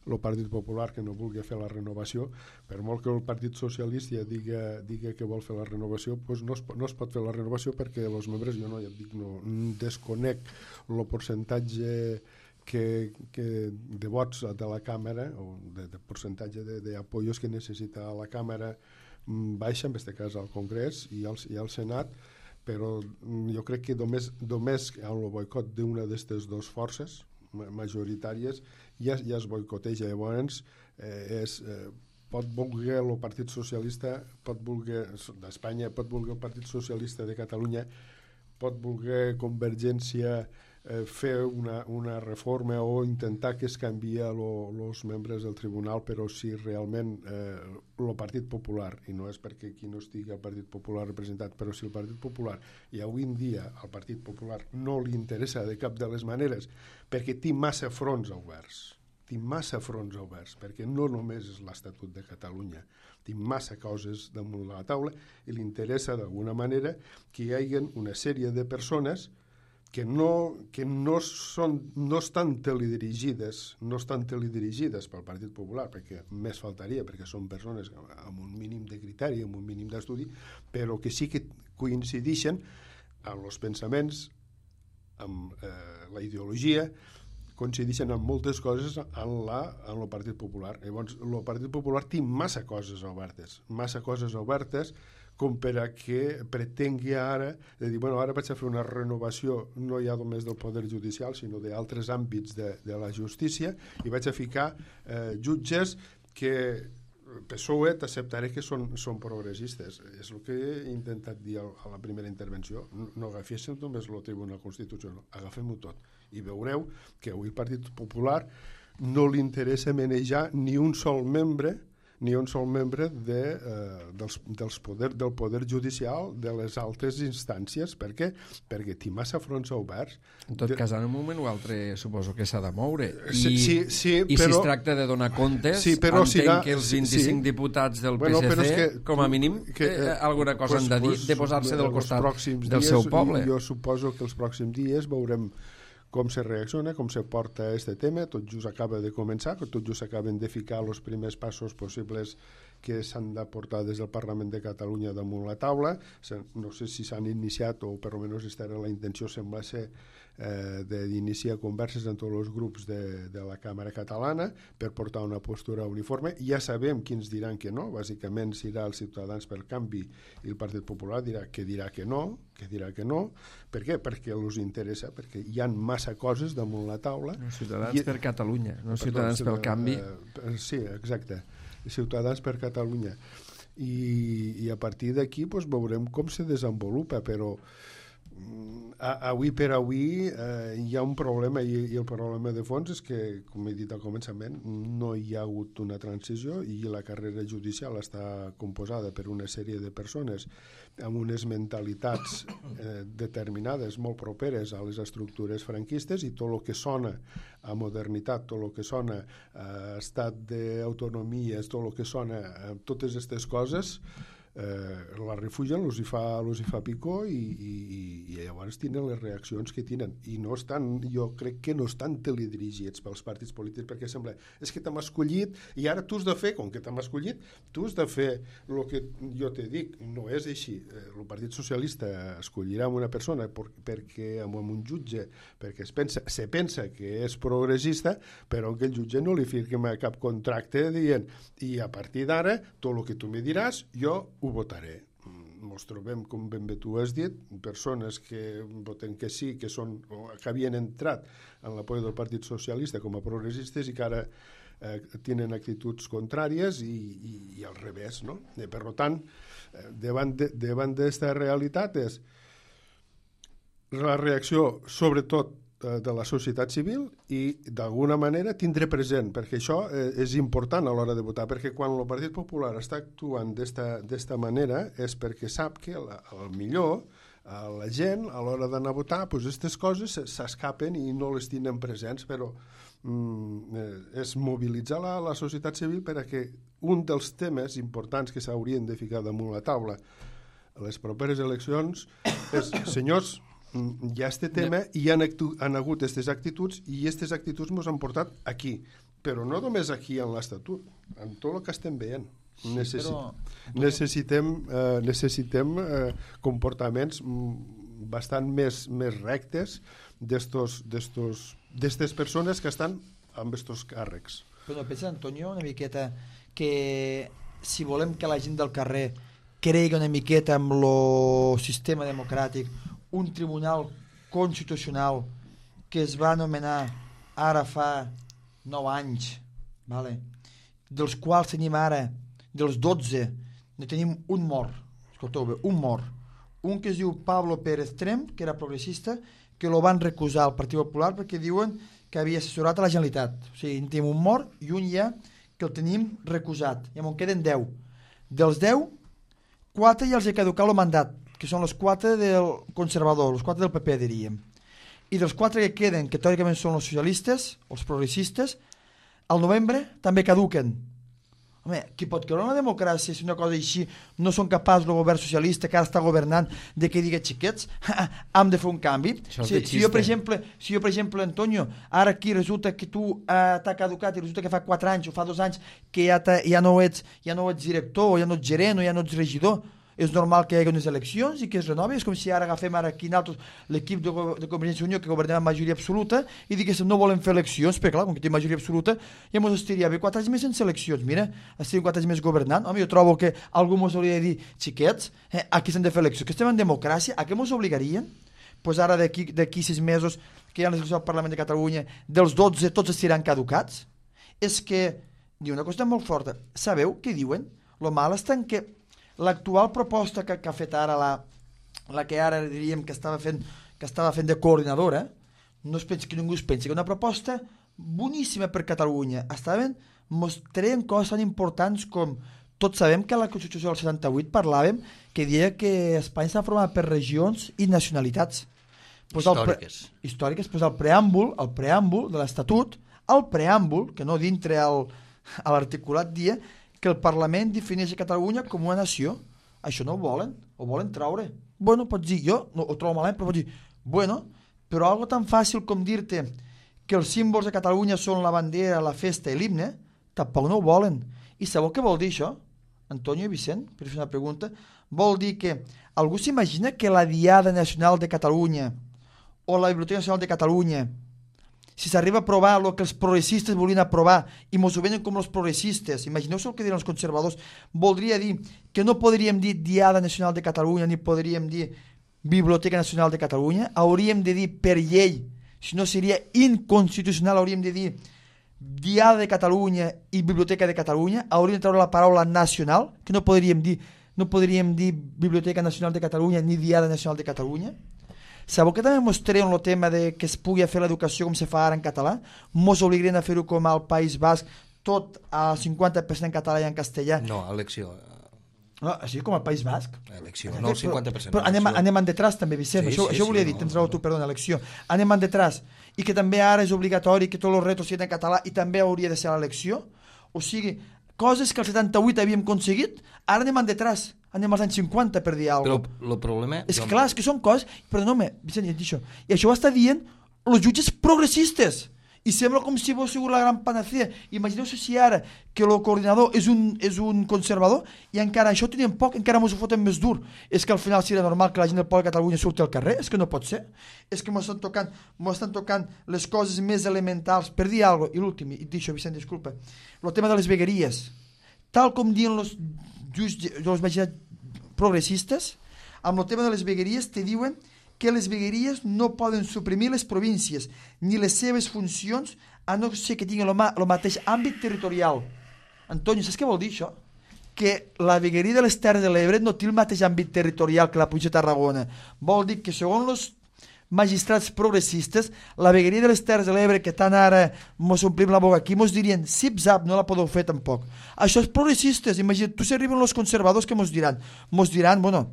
el Partit Popular, que no vulgui fer la renovació, per molt que el Partit Socialista diga, diga que vol fer la renovació, doncs no es, no es pot fer la renovació perquè els membres, jo no, ja dic, no desconec el percentatge que, que de vots de la Càmera, o de, de percentatge d'apoyos que necessita la Càmera baixa, en aquest cas al Congrés i al, i al Senat, però jo crec que només, només amb el boicot d'una d'aquestes dues forces majoritàries ja, ja es boicoteja. Llavors eh, és, eh, pot voler el Partit Socialista, pot voler d'Espanya, pot voler el Partit Socialista de Catalunya, pot voler Convergència eh, fer una, una reforma o intentar que es canvia els membres del tribunal, però si realment el eh, Partit Popular, i no és perquè aquí no estigui el Partit Popular representat, però si el Partit Popular, i avui en dia al Partit Popular no li interessa de cap de les maneres, perquè té massa fronts oberts, té massa fronts oberts, perquè no només és l'Estatut de Catalunya, té massa coses damunt de la taula, i li interessa d'alguna manera que hi hagi una sèrie de persones que no, que no, són, no estan teledirigides, no estan teledirigides pel Partit Popular, perquè més faltaria, perquè són persones amb un mínim de criteri, amb un mínim d'estudi, però que sí que coincideixen amb els pensaments, amb eh, la ideologia, coincideixen en moltes coses en, la, en el Partit Popular. Llavors, el Partit Popular té massa coses obertes, massa coses obertes, com per a que pretengui ara de dir, bueno, ara vaig a fer una renovació no ja només del poder judicial, sinó d'altres àmbits de, de la justícia, i vaig a ficar eh, jutges que P S O E t'acceptaré que són, són progressistes. És el que he intentat dir a la primera intervenció. No, no agaféssim només el Tribunal Constitucional, agafem-ho tot. I veureu que avui el Partit Popular no li interessa manejar ni un sol membre ni un sol membre de, eh, dels, dels poder, del poder judicial de les altres instàncies. Per què? Perquè té massa fronts oberts. En tot de... cas, en un moment o altre suposo que s'ha de moure. I, sí, sí, sí, i però... si es tracta de donar comptes, sí, però entenc serà... que els vint-i-cinc sí. diputats del bueno, P S C, que, com a mínim, que, eh, alguna cosa pues, han de dir, pues, de posar-se del costat del dies, seu poble. Jo suposo que els pròxims dies veurem com se reacciona, com se porta este tema. Tot just acaba de començar, tot just acaben de ficar els primers passos possibles que s'han de portar des del Parlament de Catalunya damunt la taula. No sé si s'han iniciat, o per almenys aquesta era la intenció, sembla ser, eh, d'iniciar converses amb tots els grups de, de la Càmera Catalana per portar una postura uniforme. Ja sabem quins diran que no, bàsicament serà els Ciutadans pel Canvi i el Partit Popular dirà que dirà que no, que dirà que no. Per què? Perquè els interessa, perquè hi ha massa coses damunt la taula. No, Ciutadans I... per Catalunya, no Perdó, Ciutadans pel Canvi. Eh, sí, exacte. Ciutadans per Catalunya. I, i a partir d'aquí pues, veurem com se desenvolupa, però avui per avui eh, hi ha un problema i, i el problema de fons és que, com he dit al començament, no hi ha hagut una transició i la carrera judicial està composada per una sèrie de persones amb unes mentalitats eh, determinades, molt properes a les estructures franquistes, i tot el que sona a modernitat, tot el que sona a estat d'autonomia, tot el que sona a totes aquestes coses, Eh, la refugen, els hi fa, els hi fa picor i, i, i llavors tenen les reaccions que tenen, i no estan, jo crec que no estan teledirigits pels partits polítics, perquè sembla, és que t'hem escollit i ara tu has de fer, com que t'hem escollit, tu has de fer el que jo te dic. No és així. El Partit Socialista escollirà una persona per, perquè amb un jutge, perquè es pensa, se pensa que és progressista, però que el jutge no li firma cap contracte dient, i a partir d'ara tot el que tu me diràs jo ho votaré. Ens trobem, com ben bé tu has dit, persones que voten que sí, que són o que havien entrat en l'apoyo del Partit Socialista com a progressistes i que ara eh, tenen actituds contràries i, i, i al revés, no? Eh, per tant, eh, davant de, davant d'esta realitat és la reacció, sobretot, de la societat civil i d'alguna manera tindre present, perquè això és important a l'hora de votar, perquè quan el Partit Popular està actuant d'esta manera és perquè sap que al millor a la gent a l'hora d'anar a votar aquestes coses s'escapen i no les tenen presents, però mm, és mobilitzar la, la societat civil perquè un dels temes importants que s'haurien de ficar damunt la taula a les properes eleccions és, senyors, hi ha aquest tema i hi han, han hagut aquestes actituds i aquestes actituds ens han portat aquí, però no només aquí en l'Estatut, en tot el que estem veient. Necessi sí, però... necessitem, eh, necessitem eh, comportaments bastant més, més rectes d'aquestes persones que estan amb aquests càrrecs. Però no pensa, Antonio, una miqueta que si volem que la gent del carrer cregui una miqueta amb el sistema democràtic, un tribunal constitucional que es va anomenar ara fa nou anys, vale? Dels quals tenim ara, dels dotze, ne tenim un mort, escolteu bé, un mort, un que es diu Pablo Pérez Trem, que era progressista, que lo van recusar al Partit Popular perquè diuen que havia assessorat a la Generalitat. O sigui, en tenim un mort i un ja que el tenim recusat, i en queden deu. Dels deu, quatre ja els he caducat el mandat, que són els quatre del conservador, els quatre del P P, diríem. I dels quatre que queden, que teòricament són els socialistes, els progressistes, al novembre també caduquen. Home, qui pot creure en la democràcia si una cosa així no són capaços el govern socialista que ara està governant de que digui xiquets, hem de fer un canvi? Si, si, jo, per exemple, si jo, per exemple, Antonio, ara aquí resulta que tu eh, t'ha caducat i resulta que fa quatre anys o fa dos anys que ja, ja, no ets, ja no ets director o ja no ets gerent o ja no ets regidor, és normal que hi hagi unes eleccions i que es renovi. És com si ara agafem ara aquí l'equip de, de Convergència i Unió que governem amb majoria absoluta i diguéssim no volem fer eleccions, perquè clar, com que té majoria absoluta ja ens estaria bé quatre anys més sense eleccions. Mira, estaríem quatre anys més governant. Home, jo trobo que algú ens hauria de dir, xiquets, eh, aquí s'han de fer eleccions, que estem en democràcia, a què ens obligarien? Doncs pues ara d'aquí sis mesos que hi ha les eleccions al Parlament de Catalunya, dels dotze tots estaran caducats. És que, diu una cosa molt forta, sabeu què diuen? Lo mal està en que l'actual proposta que, que ha fet ara la, la que ara diríem que estava fent, que estava fent de coordinadora, no es pensi que ningú es pensi que una proposta boníssima per Catalunya. Estaven mostrant coses tan importants com tots sabem que a la Constitució del setanta-vuit parlàvem que deia que Espanya s'ha format per regions i nacionalitats. Pues històriques. El pre, històriques, pues el preàmbul, el preàmbul de l'Estatut, el preàmbul, que no dintre el, a l'articulat dia, que el Parlament defineix a Catalunya com una nació. Això no ho volen, ho volen traure. Bueno, pots dir, jo no, ho trobo malament, però pots dir, bueno, però algo tan fàcil com dir-te que els símbols de Catalunya són la bandera, la festa i l'himne, tampoc no ho volen. I sabeu què vol dir això? Antonio i Vicent, per fer una pregunta, vol dir que algú s'imagina que la Diada Nacional de Catalunya o la Biblioteca Nacional de Catalunya, si s'arriba a aprovar el que els progressistes volien aprovar i mos ho venen com els progressistes, imagineu-vos el que diran els conservadors, voldria dir que no podríem dir Diada Nacional de Catalunya ni podríem dir Biblioteca Nacional de Catalunya, hauríem de dir per llei, si no seria inconstitucional, hauríem de dir Diada de Catalunya i Biblioteca de Catalunya, hauríem de treure la paraula nacional, que no podríem dir, no podríem dir Biblioteca Nacional de Catalunya ni Diada Nacional de Catalunya. Sabeu que també mos treuen el tema de que es pugui fer l'educació com se fa ara en català? Mos obliguen a fer-ho com al País Basc, tot al cinquanta per cent en català i en castellà. No, elecció. No, així com al País Basc. Elecció, no el cinquanta per cent. Però, però anem, anem en detrás també, Vicent, sí, això, sí, això volia sí, dir, no, tens raó no. tu, perdona, elecció. Anem en detrás. I que també ara és obligatori que tots els retos siguin en català i també hauria de ser l'elecció. O sigui, coses que al setanta-vuit havíem aconseguit, ara anem en detrás. Anem als anys cinquanta per dir alguna cosa. Però el problema... És que clar, és que són coses... Perdona, Vicent, ja et dic això. I això ho està dient els jutges progressistes. I sembla com si fos sigut la gran panacea. Imagineu-vos si ara que el coordinador és un, és un conservador i encara això teníem poc, encara ens ho foten més dur. És que al final seria normal que la gent del poble de Catalunya surti al carrer? És que no pot ser. És que m'estan tocant, m'estan tocant les coses més elementals. Per dir alguna cosa, i l'últim, i et dic això, Vicent, disculpa, el tema de les vegueries. Tal com diuen els els magistrats progressistes, amb el tema de les vegueries te diuen que les vegueries no poden suprimir les províncies ni les seves funcions a no ser que tinguin el, ma el mateix àmbit territorial. Antoni, saps què vol dir això? Que la vegueria de les Terres de l'Ebre no té el mateix àmbit territorial que la província de Tarragona. Vol dir que segons els magistrats progressistes, la vegueria de les Terres de l'Ebre, que tant ara mos omplim la boca aquí, mos dirien, zip-zap, no la podeu fer tampoc. Això és progressistes, imagina't, tu s'arriben els conservadors que mos diran, mos diran, bueno,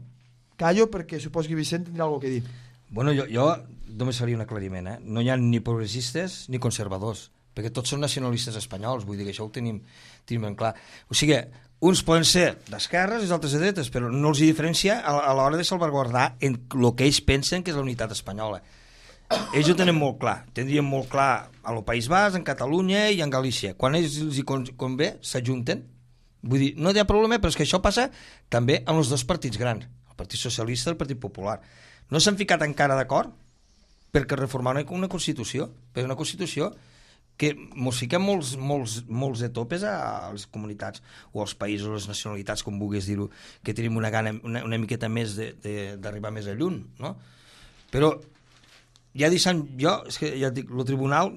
callo perquè suposo que Vicent tindrà alguna cosa a dir. Bueno, jo, jo només faria un aclariment, eh? No hi ha ni progressistes ni conservadors, perquè tots són nacionalistes espanyols, vull dir que això ho tenim, tenim ben clar. O sigui, uns poden ser d'esquerres i els altres de dretes, però no els hi diferencia a, a l'hora de salvaguardar en el que ells pensen que és la unitat espanyola. Ells ho tenen molt clar, tindrien molt clar al País Basc, en Catalunya i en Galícia. Quan ells els hi convé, s'ajunten. Vull dir, no hi ha problema, però és que això passa també amb els dos partits grans, el Partit Socialista i el Partit Popular. No s'han ficat encara d'acord perquè reformar una, una Constitució, perquè una Constitució que mos fiquem molts, molts, molts de topes a les comunitats o als països, a les nacionalitats, com vulguis dir-ho, que tenim una gana una, una miqueta més d'arribar més a lluny, no? Però ja deixant jo, és que ja et dic, el tribunal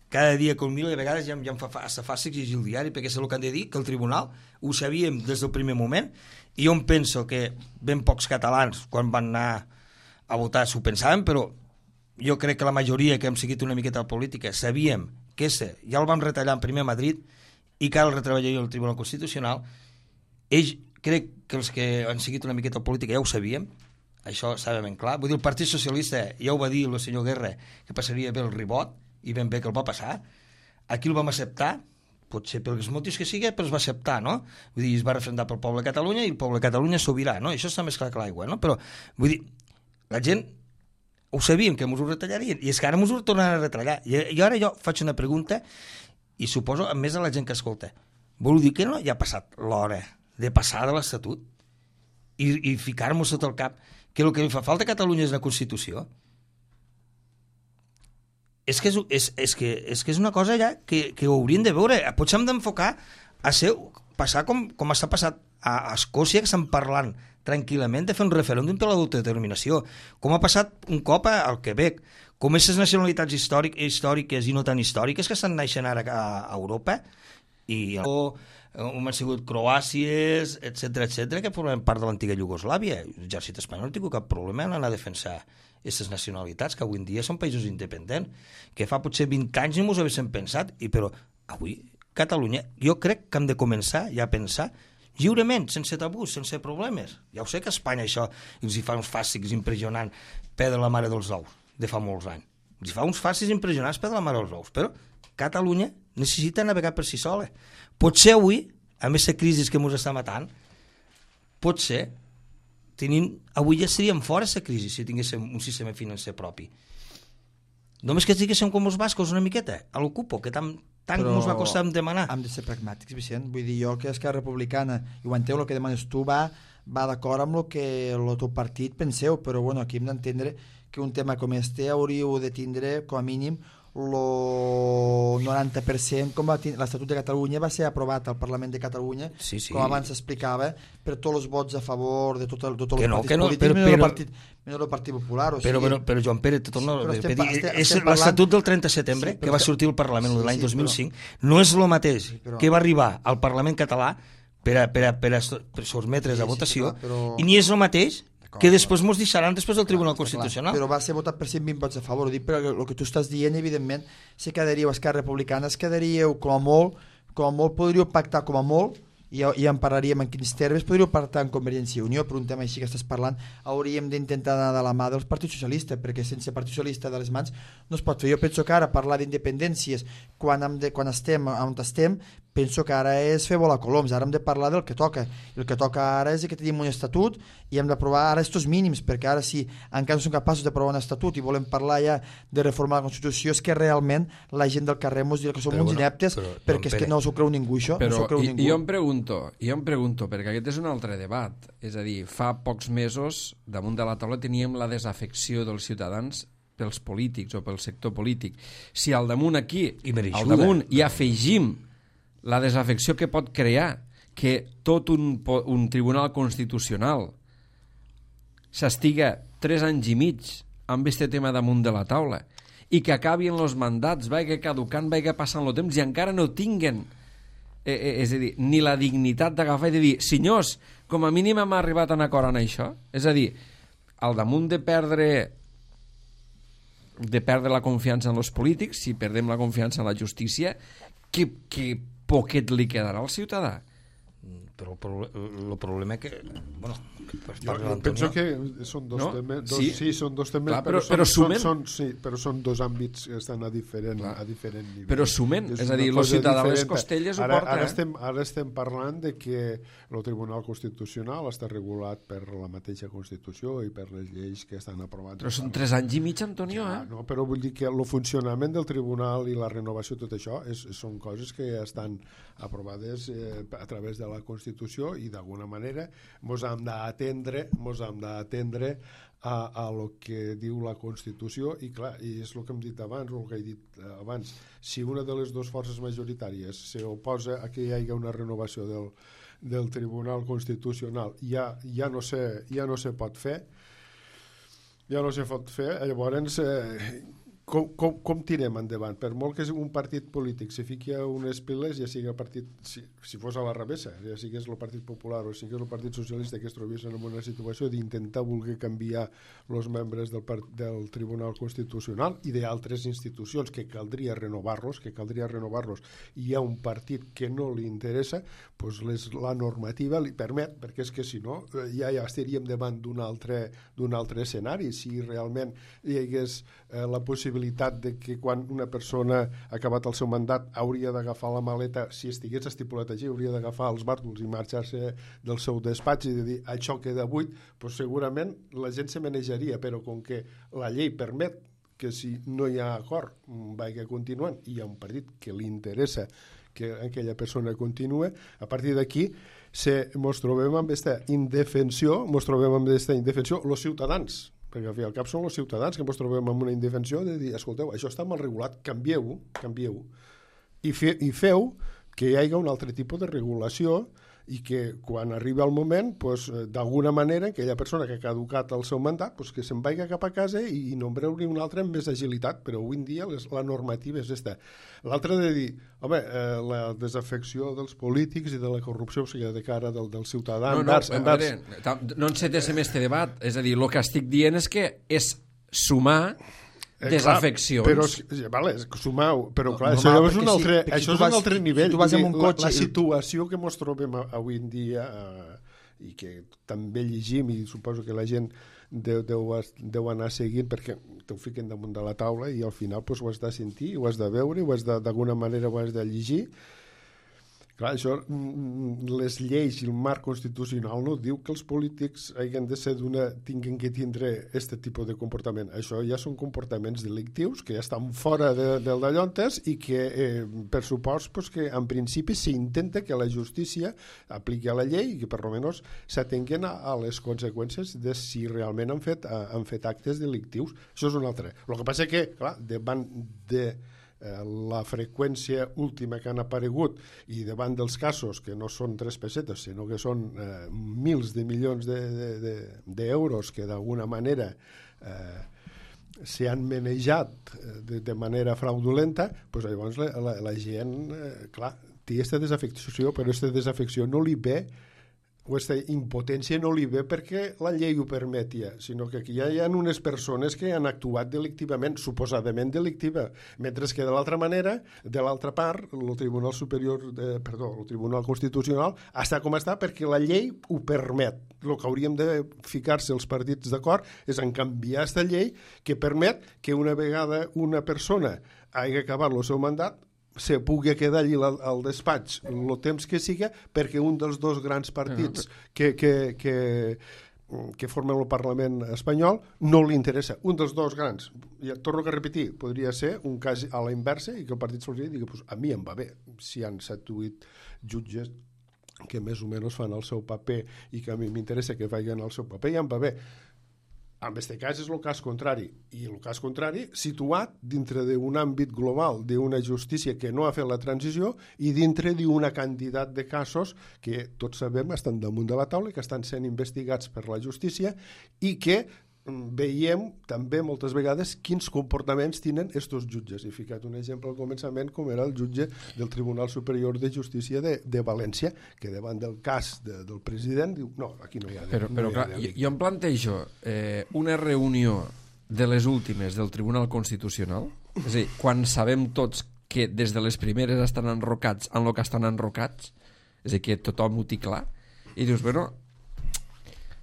cada dia que el miro, de vegades ja, ja em fa hasta fàcil exigir el diari, perquè és el que han de dir, que el tribunal ho sabíem des del primer moment, i jo em penso que ben pocs catalans, quan van anar a votar, s'ho pensaven, però jo crec que la majoria que hem seguit una miqueta de política sabíem que este ja el vam retallar en primer a Madrid i que ara el retreballaria el Tribunal Constitucional. Ells, crec que els que han seguit una miqueta de política ja ho sabíem, això estava ben clar. Vull dir, el Partit Socialista ja ho va dir el senyor Guerra, que passaria bé el ribot, i ben bé que el va passar. Aquí el vam acceptar, potser pels motius que sigui, però es va acceptar, no? Vull dir, es va referendar pel poble de Catalunya i el poble de Catalunya sobirà, no? Això està més clar que l'aigua, no? Però, vull dir, la gent ho sabíem que ens ho retallarien i és que ara ens ho tornaran a retallar i, i ara jo faig una pregunta i suposo a més a la gent que escolta, vol dir que no ja ha passat l'hora de passar de l'Estatut i, i ficar-nos sota el cap que el que li fa falta a Catalunya és una Constitució? És que és, és, és, que, és que és una cosa ja que, que ho hauríem de veure, potser hem d'enfocar a ser, passar com, com està passat a Escòcia, que estan parlant tranquil·lament de fer un referèndum per l'autodeterminació, com ha passat un cop al Quebec, com aquestes nacionalitats històric, històriques i no tan històriques que estan naixent ara a, a Europa, i on han sigut Croàcies, etcètera, etcètera, que formen part de l'antiga Iugoslàvia. L'exèrcit espanyol no ha tingut cap problema en anar a defensar aquestes nacionalitats, que avui en dia són països independents, que fa potser vint anys no ens ho haguéssim pensat, i però avui Catalunya, jo crec que hem de començar ja a pensar lliurement, sense tabús, sense problemes. Ja ho sé que a Espanya això els hi fa uns fàstics impressionants perdre la mare dels ous, de fa molts anys. Els hi fa uns fàstics impressionants perdre la mare dels ous, però Catalunya necessita navegar per si sola. Potser avui, amb aquesta crisi que ens està matant, potser tenim, avui ja seríem fora aquesta crisi si tinguéssim un sistema financer propi. Només que estiguéssim com els bascos una miqueta, a l'ocupo, que tant tant ens va costar demanar. Hem de ser pragmàtics, Vicent. Vull dir, jo que Esquerra Republicana, i ho enteu, el que demanes tu va, va d'acord amb el que el teu partit penseu, però bueno, aquí hem d'entendre que un tema com este hauríeu de tindre, com a mínim, el noranta per cent, com l'Estatut de Catalunya va ser aprovat al Parlament de Catalunya, sí, sí. com abans s'explicava, per tots els vots a favor de tots tot els no, partits no, polítics, però, menys però, el Partit, menys el Partit Popular. O però, sigui, però, però Joan Pere, tot no, sí, estem, dir, estem, és estem l'Estatut del trenta de setembre sí, que va sortir al Parlament sí, l'any sí, dos mil cinc, però, no és el mateix sí, però, que va arribar al Parlament català per a, per a, per a, per a sotmetre's sí, a votació, sí, però, però, i ni és el mateix que després mos deixaran després del Tribunal clar, Constitucional. Clar, però va ser votat per cent vint vots a favor. Ho dic perquè el que tu estàs dient, evidentment, si quedaríeu Esquerra Republicana, es quedaríeu com a molt, com a molt podríeu pactar com a molt, i ja, ja en parlaríem en quins termes, podríeu pactar en Convergència i Unió, per un tema així que estàs parlant, hauríem d'intentar anar de la mà dels partits socialistes, perquè sense Partit Socialista de les mans no es pot fer. Jo penso que ara parlar d'independències quan, hem de, quan estem on estem, penso que ara és fer volar coloms, ara hem de parlar del que toca. El que toca ara és que tenim un estatut i hem d'aprovar ara estos mínims, perquè ara si encara no som capaços d'aprovar un estatut i volem parlar ja de reformar la Constitució, és que realment la gent del carrer ens dirà que som però, uns bueno, ineptes, però, perquè és que no s'ho creu ningú això. Però no creu i, ningú. jo em pregunto, jo em pregunto, perquè aquest és un altre debat, és a dir, fa pocs mesos damunt de la taula teníem la desafecció dels ciutadans pels polítics o pel sector polític. Si al damunt aquí, al damunt hi afegim la desafecció que pot crear que tot un, un tribunal constitucional s'estiga tres anys i mig amb aquest tema damunt de la taula i que acabin els mandats, vagi caducant, vagi passant el temps i encara no tinguen eh, eh, és a dir, ni la dignitat d'agafar i de dir, senyors, com a mínim hem arribat a un acord en això. És a dir, al damunt de perdre de perdre la confiança en els polítics, si perdem la confiança en la justícia, que, que poquet li quedarà al ciutadà. Però el, pro el problema és que bueno, jo, jo penso que són dos no? temes dos, sí. sí, són dos temes clar, però, però, però, són, sumen... són, sí, però són dos àmbits que estan a diferent, a diferent nivell. Però sumen, és, és a dir, el ciutadà de les costelles ara, ho porta. Ara estem, ara estem parlant de que el Tribunal Constitucional està regulat per la mateixa Constitució i per les lleis que estan aprovades. Però són tres anys i mig, Antonio, ja, eh? No, però vull dir que el funcionament del Tribunal i la renovació, tot això, és, són coses que estan aprovades eh, a través de la Constitució i d'alguna manera mos hem d'atendre mos hem d'atendre a, a lo que diu la Constitució i clar, i és el que hem dit abans o el que he dit abans, si una de les dues forces majoritàries s'oposa a que hi hagi una renovació del, del Tribunal Constitucional ja, ja, no se, ja no se pot fer ja no se pot fer llavors eh, Com, com, com tirem endavant? Per molt que un partit polític se fiqui a unes piles, ja sigui el partit, si, si fos a la revessa, ja sigués el Partit Popular o sigués el Partit Socialista que es trobessin en una situació d'intentar voler canviar els membres del, del Tribunal Constitucional i d'altres institucions que caldria renovar-los, que caldria renovar-los i hi ha un partit que no li interessa, doncs les, la normativa li permet, perquè és que si no ja, ja estaríem davant d'un altre, d'un altre escenari, si realment hi hagués eh, la possibilitat de que quan una persona ha acabat el seu mandat hauria d'agafar la maleta, si estigués estipulat així, hauria d'agafar els bàrtols i marxar-se del seu despatx i de dir això queda buit, doncs segurament la gent se manejaria, però com que la llei permet que si no hi ha acord vagi continuant i hi ha un partit que li interessa que aquella persona continue, a partir d'aquí se, mos trobem amb aquesta indefensió, mos trobem amb aquesta indefensió els ciutadans, perquè al fi al cap són els ciutadans que ens trobem amb una indefensió de dir, escolteu, això està mal regulat, canvieu-ho, canvieu-ho, i, fe, i feu que hi hagi un altre tipus de regulació i que quan arribi el moment, pues, d'alguna manera, aquella persona que ha caducat el seu mandat, pues, que se'n vagi cap a casa i, i nombrar-li un altre amb més agilitat, però avui en dia les, la normativa és aquesta. L'altre de dir, home, eh, la desafecció dels polítics i de la corrupció, o sigui, de cara del, del ciutadà... No, no, envers, envers... Veure, no encetéssim este debat, és a dir, el que estic dient és que és sumar Eh, desafeccions. Clar, però, vale, sumau, però clar, no, això no, és un altre, si, això si és un altre nivell. Si tu vas amb un cotxe... La, la situació que ens trobem avui en dia eh, i que també llegim i suposo que la gent deu, deu, deu anar seguint perquè t'ho fiquen damunt de la taula i al final pues, ho has de sentir, ho has de veure, ho has de, d'alguna manera ho has de llegir. Clar, això, les lleis i el marc constitucional no diu que els polítics hagin de ser d'una, tinguin que tindre aquest tipus de comportament. Això ja són comportaments delictius que ja estan fora de, del d'allontes i que, eh, per supost, pues, que en principi s'intenta que la justícia apliqui a la llei i que per almenys s'atenguen a, a les conseqüències de si realment han fet, han fet actes delictius. Això és un altre. El que passa és que, clar, davant de la freqüència última que han aparegut i davant dels casos que no són tres pessetes sinó que són eh, mils de milions d'euros de, de, de que d'alguna manera eh, s'han manejat de, de manera fraudulenta, doncs llavors la, la, la gent eh, clar, té aquesta desafecció, però aquesta desafecció no li ve aquesta impotència no li ve perquè la llei ho permetia, sinó que aquí ja hi ha unes persones que han actuat delictivament, suposadament delictiva, mentre que de l'altra manera, de l'altra part, el Tribunal Superior, de, perdó, el Tribunal Constitucional està com està perquè la llei ho permet. El que hauríem de ficar-se els partits d'acord és en canviar aquesta llei que permet que una vegada una persona hagi acabat el seu mandat se pugui quedar allí al despatx el temps que siga perquè un dels dos grans partits que, que, que, que formen el Parlament espanyol no li interessa. Un dels dos grans, ja torno a repetir, podria ser un cas a la inversa i que el Partit Socialista digui pues, a mi em va bé, si hi ha set o vuit jutges que més o menys fan el seu paper i que a mi m'interessa que vagin al seu paper, ja em va bé. En aquest cas és el cas contrari, i el cas contrari situat dintre d'un àmbit global d'una justícia que no ha fet la transició i dintre d'una quantitat de casos que tots sabem estan damunt de la taula i que estan sent investigats per la justícia i que veiem també moltes vegades quins comportaments tenen estos jutges. He ficat un exemple al començament com era el jutge del Tribunal Superior de Justícia de, de València, que davant del cas de, del president diu, no, aquí no hi ha... Però, no però hi ha clar, jo, jo em plantejo eh, una reunió de les últimes del Tribunal Constitucional, és a dir, quan sabem tots que des de les primeres estan enrocats en el que estan enrocats, és a dir, que tothom ho té clar, i dius, bueno...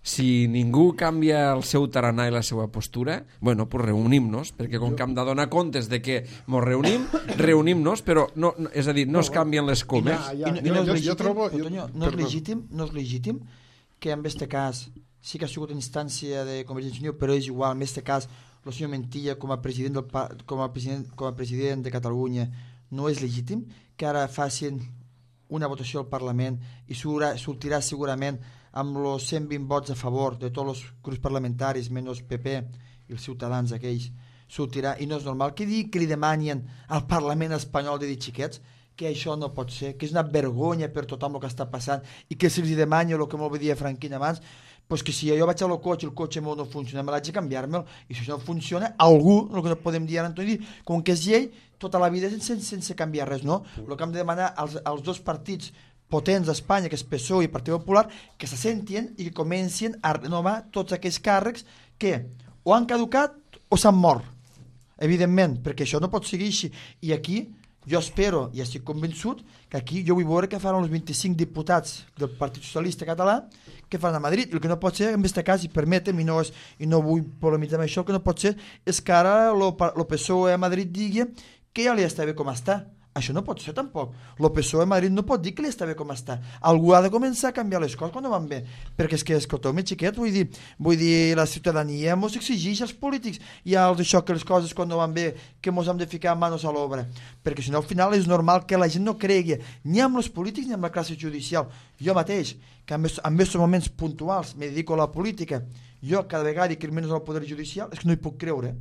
si ningú canvia el seu tarannà i la seva postura, bueno, pues reunim-nos, perquè com que hem de donar comptes de que ens reunim, reunim-nos, però no, no, és a dir, no es canvien les comes. I no, i no, és legítim, trobo, Toño, no és legítim, no és legítim que en aquest cas sí que ha sigut instància de Convergència i Unió, però és igual, en aquest cas, el senyor Mentilla com a president, del, com a president, com a president de Catalunya no és legítim que ara facin una votació al Parlament i sortirà segurament amb els cent vint vots a favor de tots els grups parlamentaris, menys P P i els ciutadans aquells, sortirà, i no és normal que, digui, que li demanin al Parlament espanyol de dir xiquets que això no pot ser, que és una vergonya per tothom el que està passant i que si els demani el que molt bé dia Franquín abans, pues que si jo vaig al cotxe, el cotxe meu no funciona, me l'haig de canviar-me'l, i si això no funciona, algú, el que no podem dir ara, Antoni, com que és llei, tota la vida sense, sense canviar res, no? El que hem de demanar als, als dos partits potents d'Espanya, que és P S O E i Partit Popular, que se sentin i que comencin a renovar tots aquells càrrecs que o han caducat o s'han mort, evidentment, perquè això no pot seguir així. I aquí jo espero, i estic convençut, que aquí jo vull veure què faran els vint-i-cinc diputats del Partit Socialista Català que fan a Madrid. I el que no pot ser, en aquest cas, i permetem, i no, és, i no vull polemitzar amb això, el que no pot ser és que ara el P S O E a Madrid digui que ja li està bé com està. Això no pot ser tampoc. El P S O E a Madrid no pot dir que li està bé com està. Algú ha de començar a canviar les coses quan no van bé. Perquè és que, escolteu-me, xiquet, vull dir, vull dir, la ciutadania mos exigeix als polítics i als això que les coses quan no van bé, que mos hem de ficar manos a l'obra. Perquè si no, al final és normal que la gent no cregui ni amb els polítics ni amb la classe judicial. Jo mateix, que en aquests moments puntuals me dedico a la política, jo cada vegada que menys al poder judicial, és que no hi puc creure.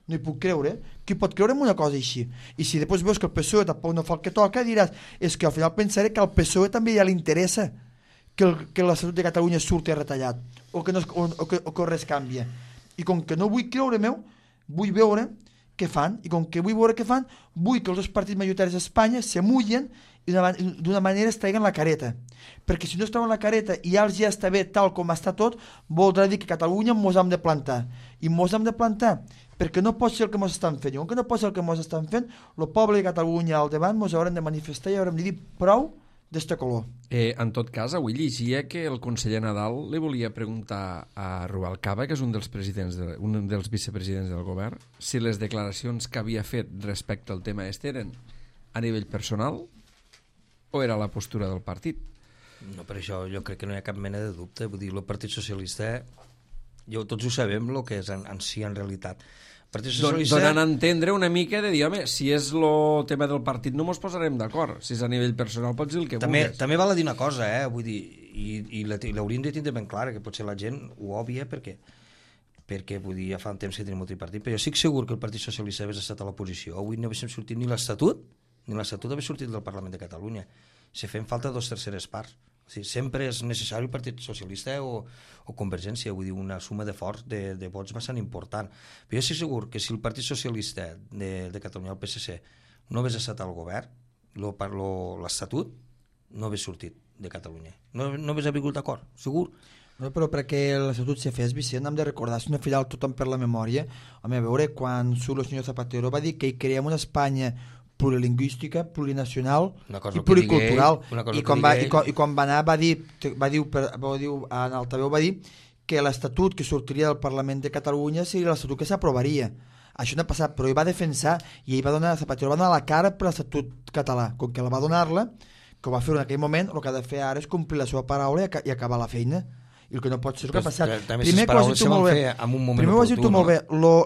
No hi puc creure. Qui pot creure en una cosa així? I si després veus que el P S O E tampoc no fa el que toca, diràs, és que al final pensaré que al P S O E també ja li interessa que, el, que la salut de Catalunya surti retallat o que, no, o, o, que, o que res canvia. I com que no vull creure meu, vull veure què fan, i com que vull veure què fan, vull que els dos partits majoritaris d'Espanya se mullen i d'una manera es traiguen la careta. Perquè si no es treuen la careta i ja els ja està bé tal com està tot, voldrà dir que Catalunya mos hem de plantar. I mos hem de plantar perquè no pot ser el que mos estan fent. I com que no pot ser el que mos estan fent, el poble de Catalunya al davant mos haurem de manifestar i haurem de dir prou d'este color. Eh, en tot cas, avui llegia que el conseller Nadal li volia preguntar a Rubalcaba, que és un dels presidents de, un dels vicepresidents del govern, si les declaracions que havia fet respecte al tema este eren a nivell personal o era la postura del partit. No, per això jo crec que no hi ha cap mena de dubte. Vull dir, el Partit Socialista, jo, tots ho sabem el que és en, en si en realitat. Socialista... Donant a entendre una mica de dir, home, si és el tema del partit no mos posarem d'acord, si és a nivell personal pots dir el que també, vulguis. També val a dir una cosa, eh? Vull dir, i, i l'hauríem de tindre ben clara, que potser la gent ho òbvia perquè, perquè vull dir, ja fa un temps que tenim un tripartit, però jo estic segur que el Partit Socialista hagués estat a l'oposició, avui no haguéssim sortit ni l'Estatut, ni l'Estatut hagués sortit del Parlament de Catalunya. Se fem falta dos terceres parts. O sigui, sempre és necessari el Partit Socialista o, o Convergència, vull dir, una suma de forts de, de vots bastant important. Però jo estic segur que si el Partit Socialista de, de Catalunya, el P S C, no hagués estat al govern, l'Estatut no hagués sortit de Catalunya. No, no hagués hagut acord, segur. No, però perquè l'Estatut se fes, Vicent, hem de recordar, si no filar tothom per la memòria, home, a veure, quan surt el senyor Zapatero va dir que hi creem una Espanya plurilingüística, plurinacional i pluricultural. I quan, va, i, quan, I quan va anar va dir, va dir, per, va dir en altaveu va dir que l'Estatut que sortiria del Parlament de Catalunya seria l'Estatut que s'aprovaria. Això no ha passat, però ell va defensar i ell va donar, Zapatero va donar la cara per l'Estatut català. Com que la va donar-la, que ho va fer en aquell moment, el que ha de fer ara és complir la seva paraula i, i acabar la feina. I el que no pot ser el que ha passat. Primer que ho has dit tu molt bé, primer ho has dit tu molt bé,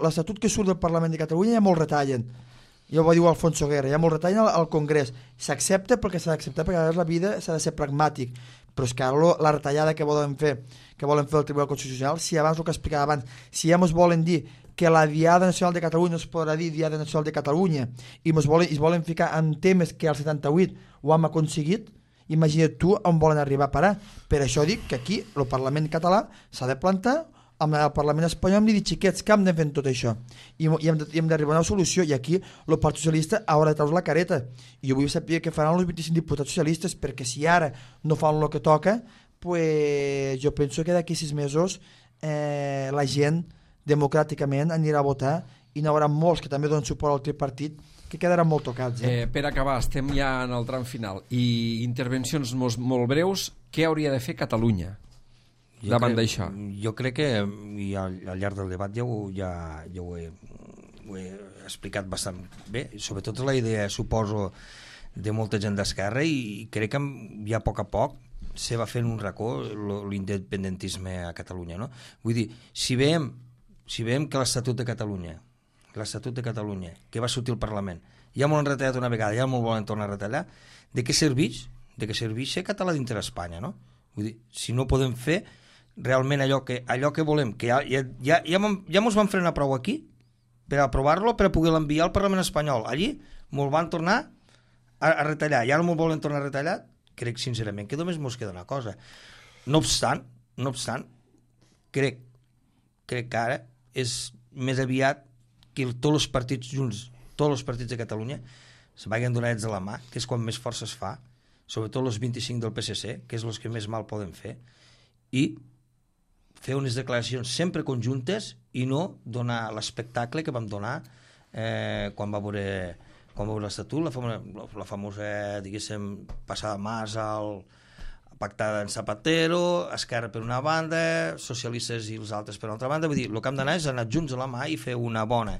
l'Estatut que surt del Parlament de Catalunya ja molt retallen. Ja ho va dir Alfonso Guerra, ja molt retallen al, al Congrés. S'accepta perquè s'ha d'acceptar, perquè a la vida s'ha de ser pragmàtic. Però és que ara la retallada que volen fer, que volen fer el Tribunal Constitucional, si abans el que explicava abans, si ja ens volen dir que la Diada Nacional de Catalunya es podrà dir Diada Nacional de Catalunya i ens volen, es volen ficar en temes que al setanta-vuit ho hem aconseguit, imagina't tu on volen arribar a parar. Per això dic que aquí el Parlament català s'ha de plantar amb el Parlament espanyol, hem de dir xiquets que hem de fer tot això i, i hem d'arribar a una solució, i aquí el Partit Socialista haurà de treure la careta, i jo vull saber què faran els vint-i-cinc diputats socialistes, perquè si ara no fan el que toca, pues jo penso que d'aquí sis mesos eh, la gent democràticament anirà a votar i n'hi haurà molts que també donen suport al tripartit que quedaran molt tocats. Eh? Eh, per acabar, estem ja en el tram final i intervencions molt, molt breus. Què hauria de fer Catalunya jo davant d'això? Jo crec que i al, al llarg del debat ja ho, ja, ja ho, he, ho he explicat bastant bé, sobretot la idea, suposo, de molta gent d'esquerra, i crec que ja a poc a poc se va fent un racó l'independentisme a Catalunya, no? Vull dir, si veiem, si veiem que l'Estatut de Catalunya l'Estatut de Catalunya, que va sortir al Parlament, ja m'ho han retallat una vegada, ja m'ho volen tornar a retallar, de què serveix? De què serveix ser català dintre d'Espanya, no? Vull dir, si no podem fer realment allò que, allò que volem, que ja, ja, ja, ja, ja mos van frenar prou aquí per aprovar-lo, per a poder l'enviar al Parlament espanyol. Allí mos van tornar a, a retallar, ja no mos volen tornar a retallar, crec sincerament que només mos queda una cosa. No obstant, no obstant, crec, crec que ara és més aviat que tots els partits junts, tots els partits de Catalunya se vagin donats a la mà, que és quan més força es fa, sobretot els vint-i-cinc del P S C, que és els que més mal poden fer, i fer unes declaracions sempre conjuntes i no donar l'espectacle que vam donar eh, quan va veure, quan va veure l'Estatut, la famosa, la famosa diguéssim, passada mas al pactada en Zapatero, Esquerra per una banda, socialistes i els altres per una altra banda. Vull dir, el que hem d'anar és anar junts a la mà i fer una bona,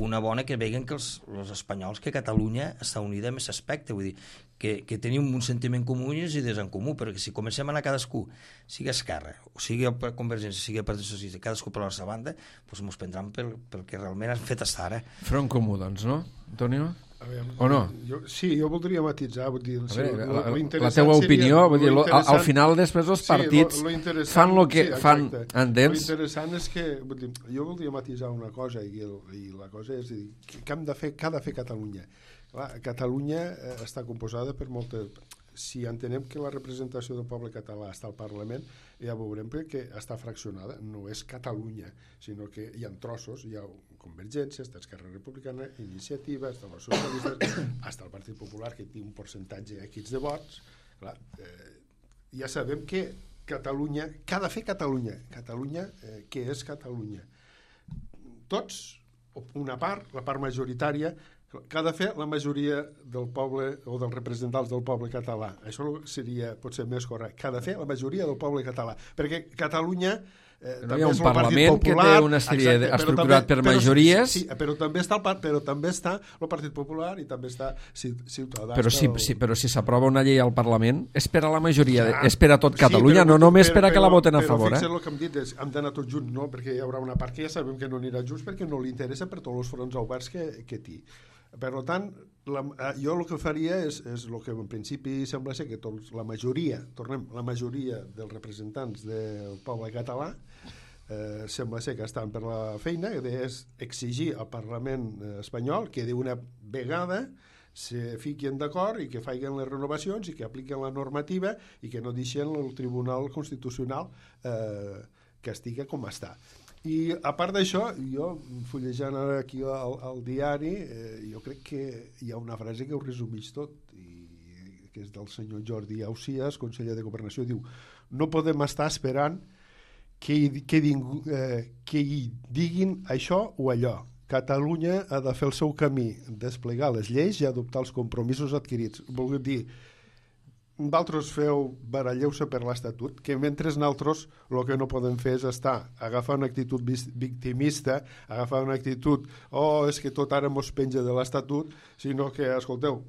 una bona que veguen que els, els espanyols, que Catalunya està unida en aquest aspecte, vull dir, que, que tenim un sentiment comú i unes idees en comú, perquè si comencem a anar cadascú, sigui Esquerra, o sigui Convergència, sigui Partit Socialista, cadascú per la seva banda, doncs ens prendran pel, pel que realment han fet estar ara. Front comú, doncs, no, Antonio? Veure, o no? Jo, sí, jo voldria matitzar, vull dir, a sí, veure, lo, lo la, la teva opinió, vull dir, lo, al final després els partits sí, lo, lo fan el que sí, fan, entens? Lo interessant és que, vull dir, jo voldria matitzar una cosa, i, el, i la cosa és dir, què hem de fer, què ha de fer Catalunya? Clar, Catalunya eh, està composada per moltes... Si entenem que la representació del poble català està al Parlament, ja veurem que està fraccionada. No és Catalunya, sinó que hi ha trossos, hi ha Convergència, està Esquerra Republicana, Iniciativa, està els socialistes, està el Partit Popular, que té un percentatge equis de vots. Clar, eh, ja sabem que Catalunya, què ha de fer Catalunya? Catalunya, eh, què és Catalunya? Tots, una part, la part majoritària, que ha de fer la majoria del poble o dels representants del poble català. Això seria potser més correcte. Que ha de fer la majoria del poble català. Perquè Catalunya eh, no hi ha un Parlament popular, que té una sèrie exacte, estructurat també, per majories. Sí, sí, però també està el, però també està el Partit Popular i també està Ciutadans. Però si, el... si, però si s'aprova una llei al Parlament és per a la majoria, ja, és per a tot Catalunya, sí, però, no només per a que la voten a favor. Però fixa't el que hem dit, és, hem d'anar tots junts, no? Perquè hi haurà una part que ja sabem que no anirà junts perquè no li interessa per tots els fronts oberts que, que té. Per tant, la, jo el que faria és, és el que en principi sembla ser que tots, la majoria, tornem, la majoria dels representants del poble català eh, sembla ser que estan per la feina, que és exigir al Parlament espanyol que d'una vegada se fiquin d'acord i que facin les renovacions i que apliquen la normativa i que no deixen el Tribunal Constitucional eh, que estigui com està. I a part d'això, jo fullejant ara aquí al, al diari, eh, jo crec que hi ha una frase que ho resumeix tot i que que és del senyor Jordi Ausias, conseller de Governació, diu: no podem estar esperant que hi, que, ding, eh, que hi diguin això o allò. Catalunya ha de fer el seu camí, desplegar les lleis i adoptar els compromisos adquirits. Vol dir, vosaltres feu, baralleu-se per l'Estatut, que mentre nosaltres el que no podem fer és estar, agafar una actitud victimista, agafar una actitud, oh, és que tot ara mos penja de l'Estatut, sinó que, escolteu,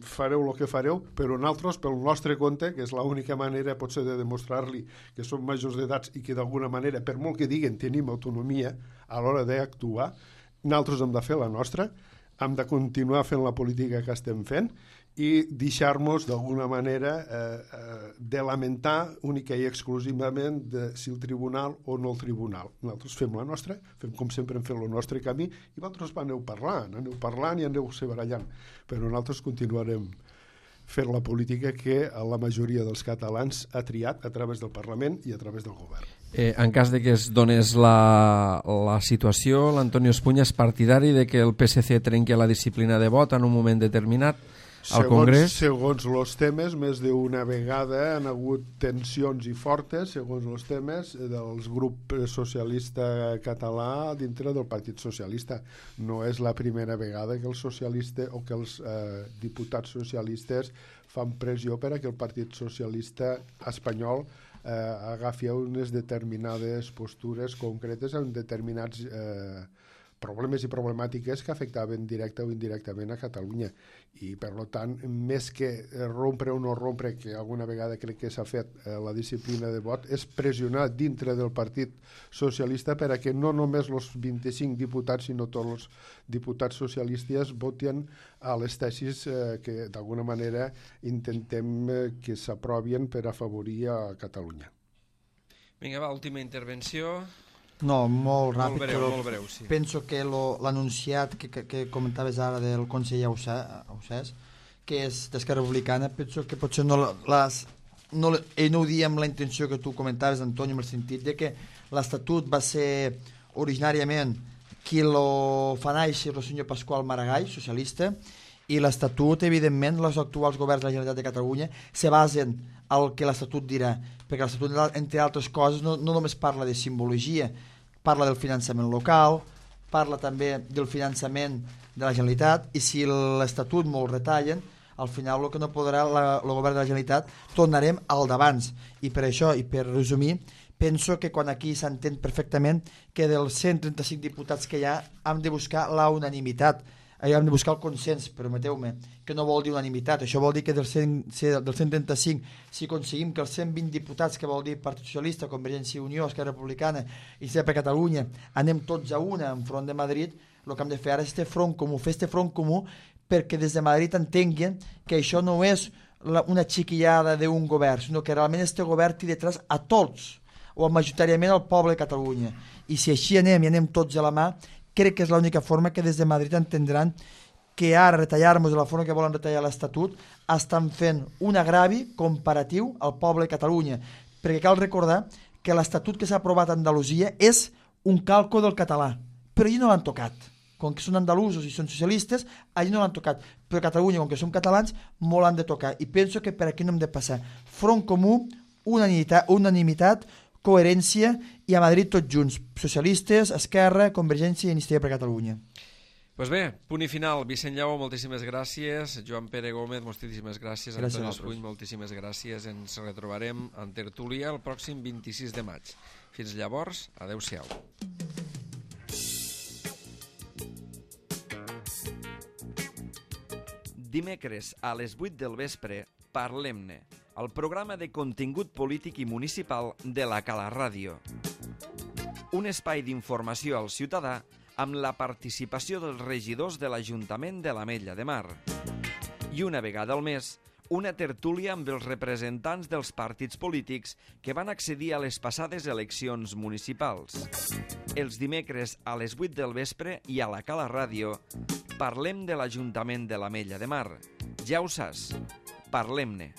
fareu el que fareu, però nosaltres, pel nostre compte, que és l'única manera potser de demostrar-li que som majors d'edats i que d'alguna manera, per molt que diguen, tenim autonomia a l'hora d'actuar, nosaltres hem de fer la nostra, hem de continuar fent la política que estem fent i deixar-nos d'alguna manera eh, eh, de lamentar única i exclusivament de si el tribunal o no el tribunal. Nosaltres fem la nostra, fem com sempre hem fet el nostre camí i vosaltres aneu parlant, aneu parlant i aneu se barallant, però nosaltres continuarem fent la política que la majoria dels catalans ha triat a través del Parlament i a través del govern. Eh, en cas de que es donés la, la situació, l'Antonio Espuña és partidari de que el P S C trenqui la disciplina de vot en un moment determinat al segons, Congrés? Segons els temes, més d'una vegada han hagut tensions i fortes, segons els temes, dels grups socialista català dintre del Partit Socialista. No és la primera vegada que els socialistes o que els eh, diputats socialistes fan pressió per a que el Partit Socialista espanyol eh, agafi unes determinades postures concretes en determinats eh, problemes i problemàtiques que afectaven directa o indirectament a Catalunya. I, per tant, més que rompre o no rompre, que alguna vegada crec que s'ha fet eh, la disciplina de vot, és pressionar dintre del Partit Socialista per a que no només els vint-i-cinc diputats, sinó tots els diputats socialistes voten a les tesis eh, que, d'alguna manera, intentem eh, que s'aprovien per afavorir a Catalunya. Vinga, va, última intervenció. No, molt ràpid, molt breu, però molt breu, sí. Penso que l'anunciat que, que, que comentaves ara del conseller Ausàs, que és d'Esquerra Republicana, penso que potser no, les, no, ell no ho dia amb la intenció que tu comentaves, Antoni, en el sentit de que l'Estatut va ser originàriament qui lo fa néixer el senyor Pasqual Maragall, socialista, i l'Estatut, evidentment, els actuals governs de la Generalitat de Catalunya se basen al que l'Estatut dirà, perquè l'Estatut, entre altres coses, no, no només parla de simbologia, parla del finançament local, parla també del finançament de la Generalitat, i si l'Estatut molt retallen, al final el que no podrà la, el govern de la Generalitat tornarem al d'abans. I per això, i per resumir, penso que quan aquí s'entén perfectament que dels cent trenta-cinc diputats que hi ha hem de buscar la unanimitat, hem de buscar el consens, permeteu-me, que no vol dir unanimitat. Això vol dir que del cent, del cent trenta-cinc, si aconseguim que els cent vint diputats, que vol dir Partit Socialista, Convergència i Unió, Esquerra Republicana i Sempre Catalunya, anem tots a una enfront de Madrid, el que hem de fer ara és este front comú, fer este front comú perquè des de Madrid entenguin que això no és la, una xiquillada d'un govern, sinó que realment este govern té detrás a tots, o majoritàriament al poble de Catalunya. I si així anem i anem tots a la mà, crec que és l'única forma que des de Madrid entendran que ara retallar-nos de la forma que volen retallar l'Estatut estan fent un agravi comparatiu al poble de Catalunya, perquè cal recordar que l'Estatut que s'ha aprovat a Andalusia és un calco del català, però allí no l'han tocat. Com que són andalusos i són socialistes, allí no l'han tocat, però a Catalunya, com que som catalans, molt han de tocar, i penso que per aquí no hem de passar. Front comú, unanimitat, unanimitat coherència, i a Madrid tots junts, socialistes, Esquerra, Convergència i Iniciativa per Catalunya. Pues bé, punt i final. Vicent Lleó, moltíssimes gràcies. Joan Pere Gómez, moltíssimes gràcies. Gràcies Antoni Espuny, moltíssimes gràcies. Ens retrobarem en tertúlia el pròxim vint-i-sis de maig. Fins llavors, adeu-siau. Dimecres a les vuit del vespre, Parlem-ne, el programa de contingut polític i municipal de la Cala Ràdio. Un espai d'informació al ciutadà amb la participació dels regidors de l'Ajuntament de l'Ametlla de Mar. I una vegada al mes, una tertúlia amb els representants dels partits polítics que van accedir a les passades eleccions municipals. Els dimecres a les vuit del vespre i a la Cala Ràdio parlem de l'Ajuntament de l'Ametlla de Mar. Ja ho saps, parlem-ne.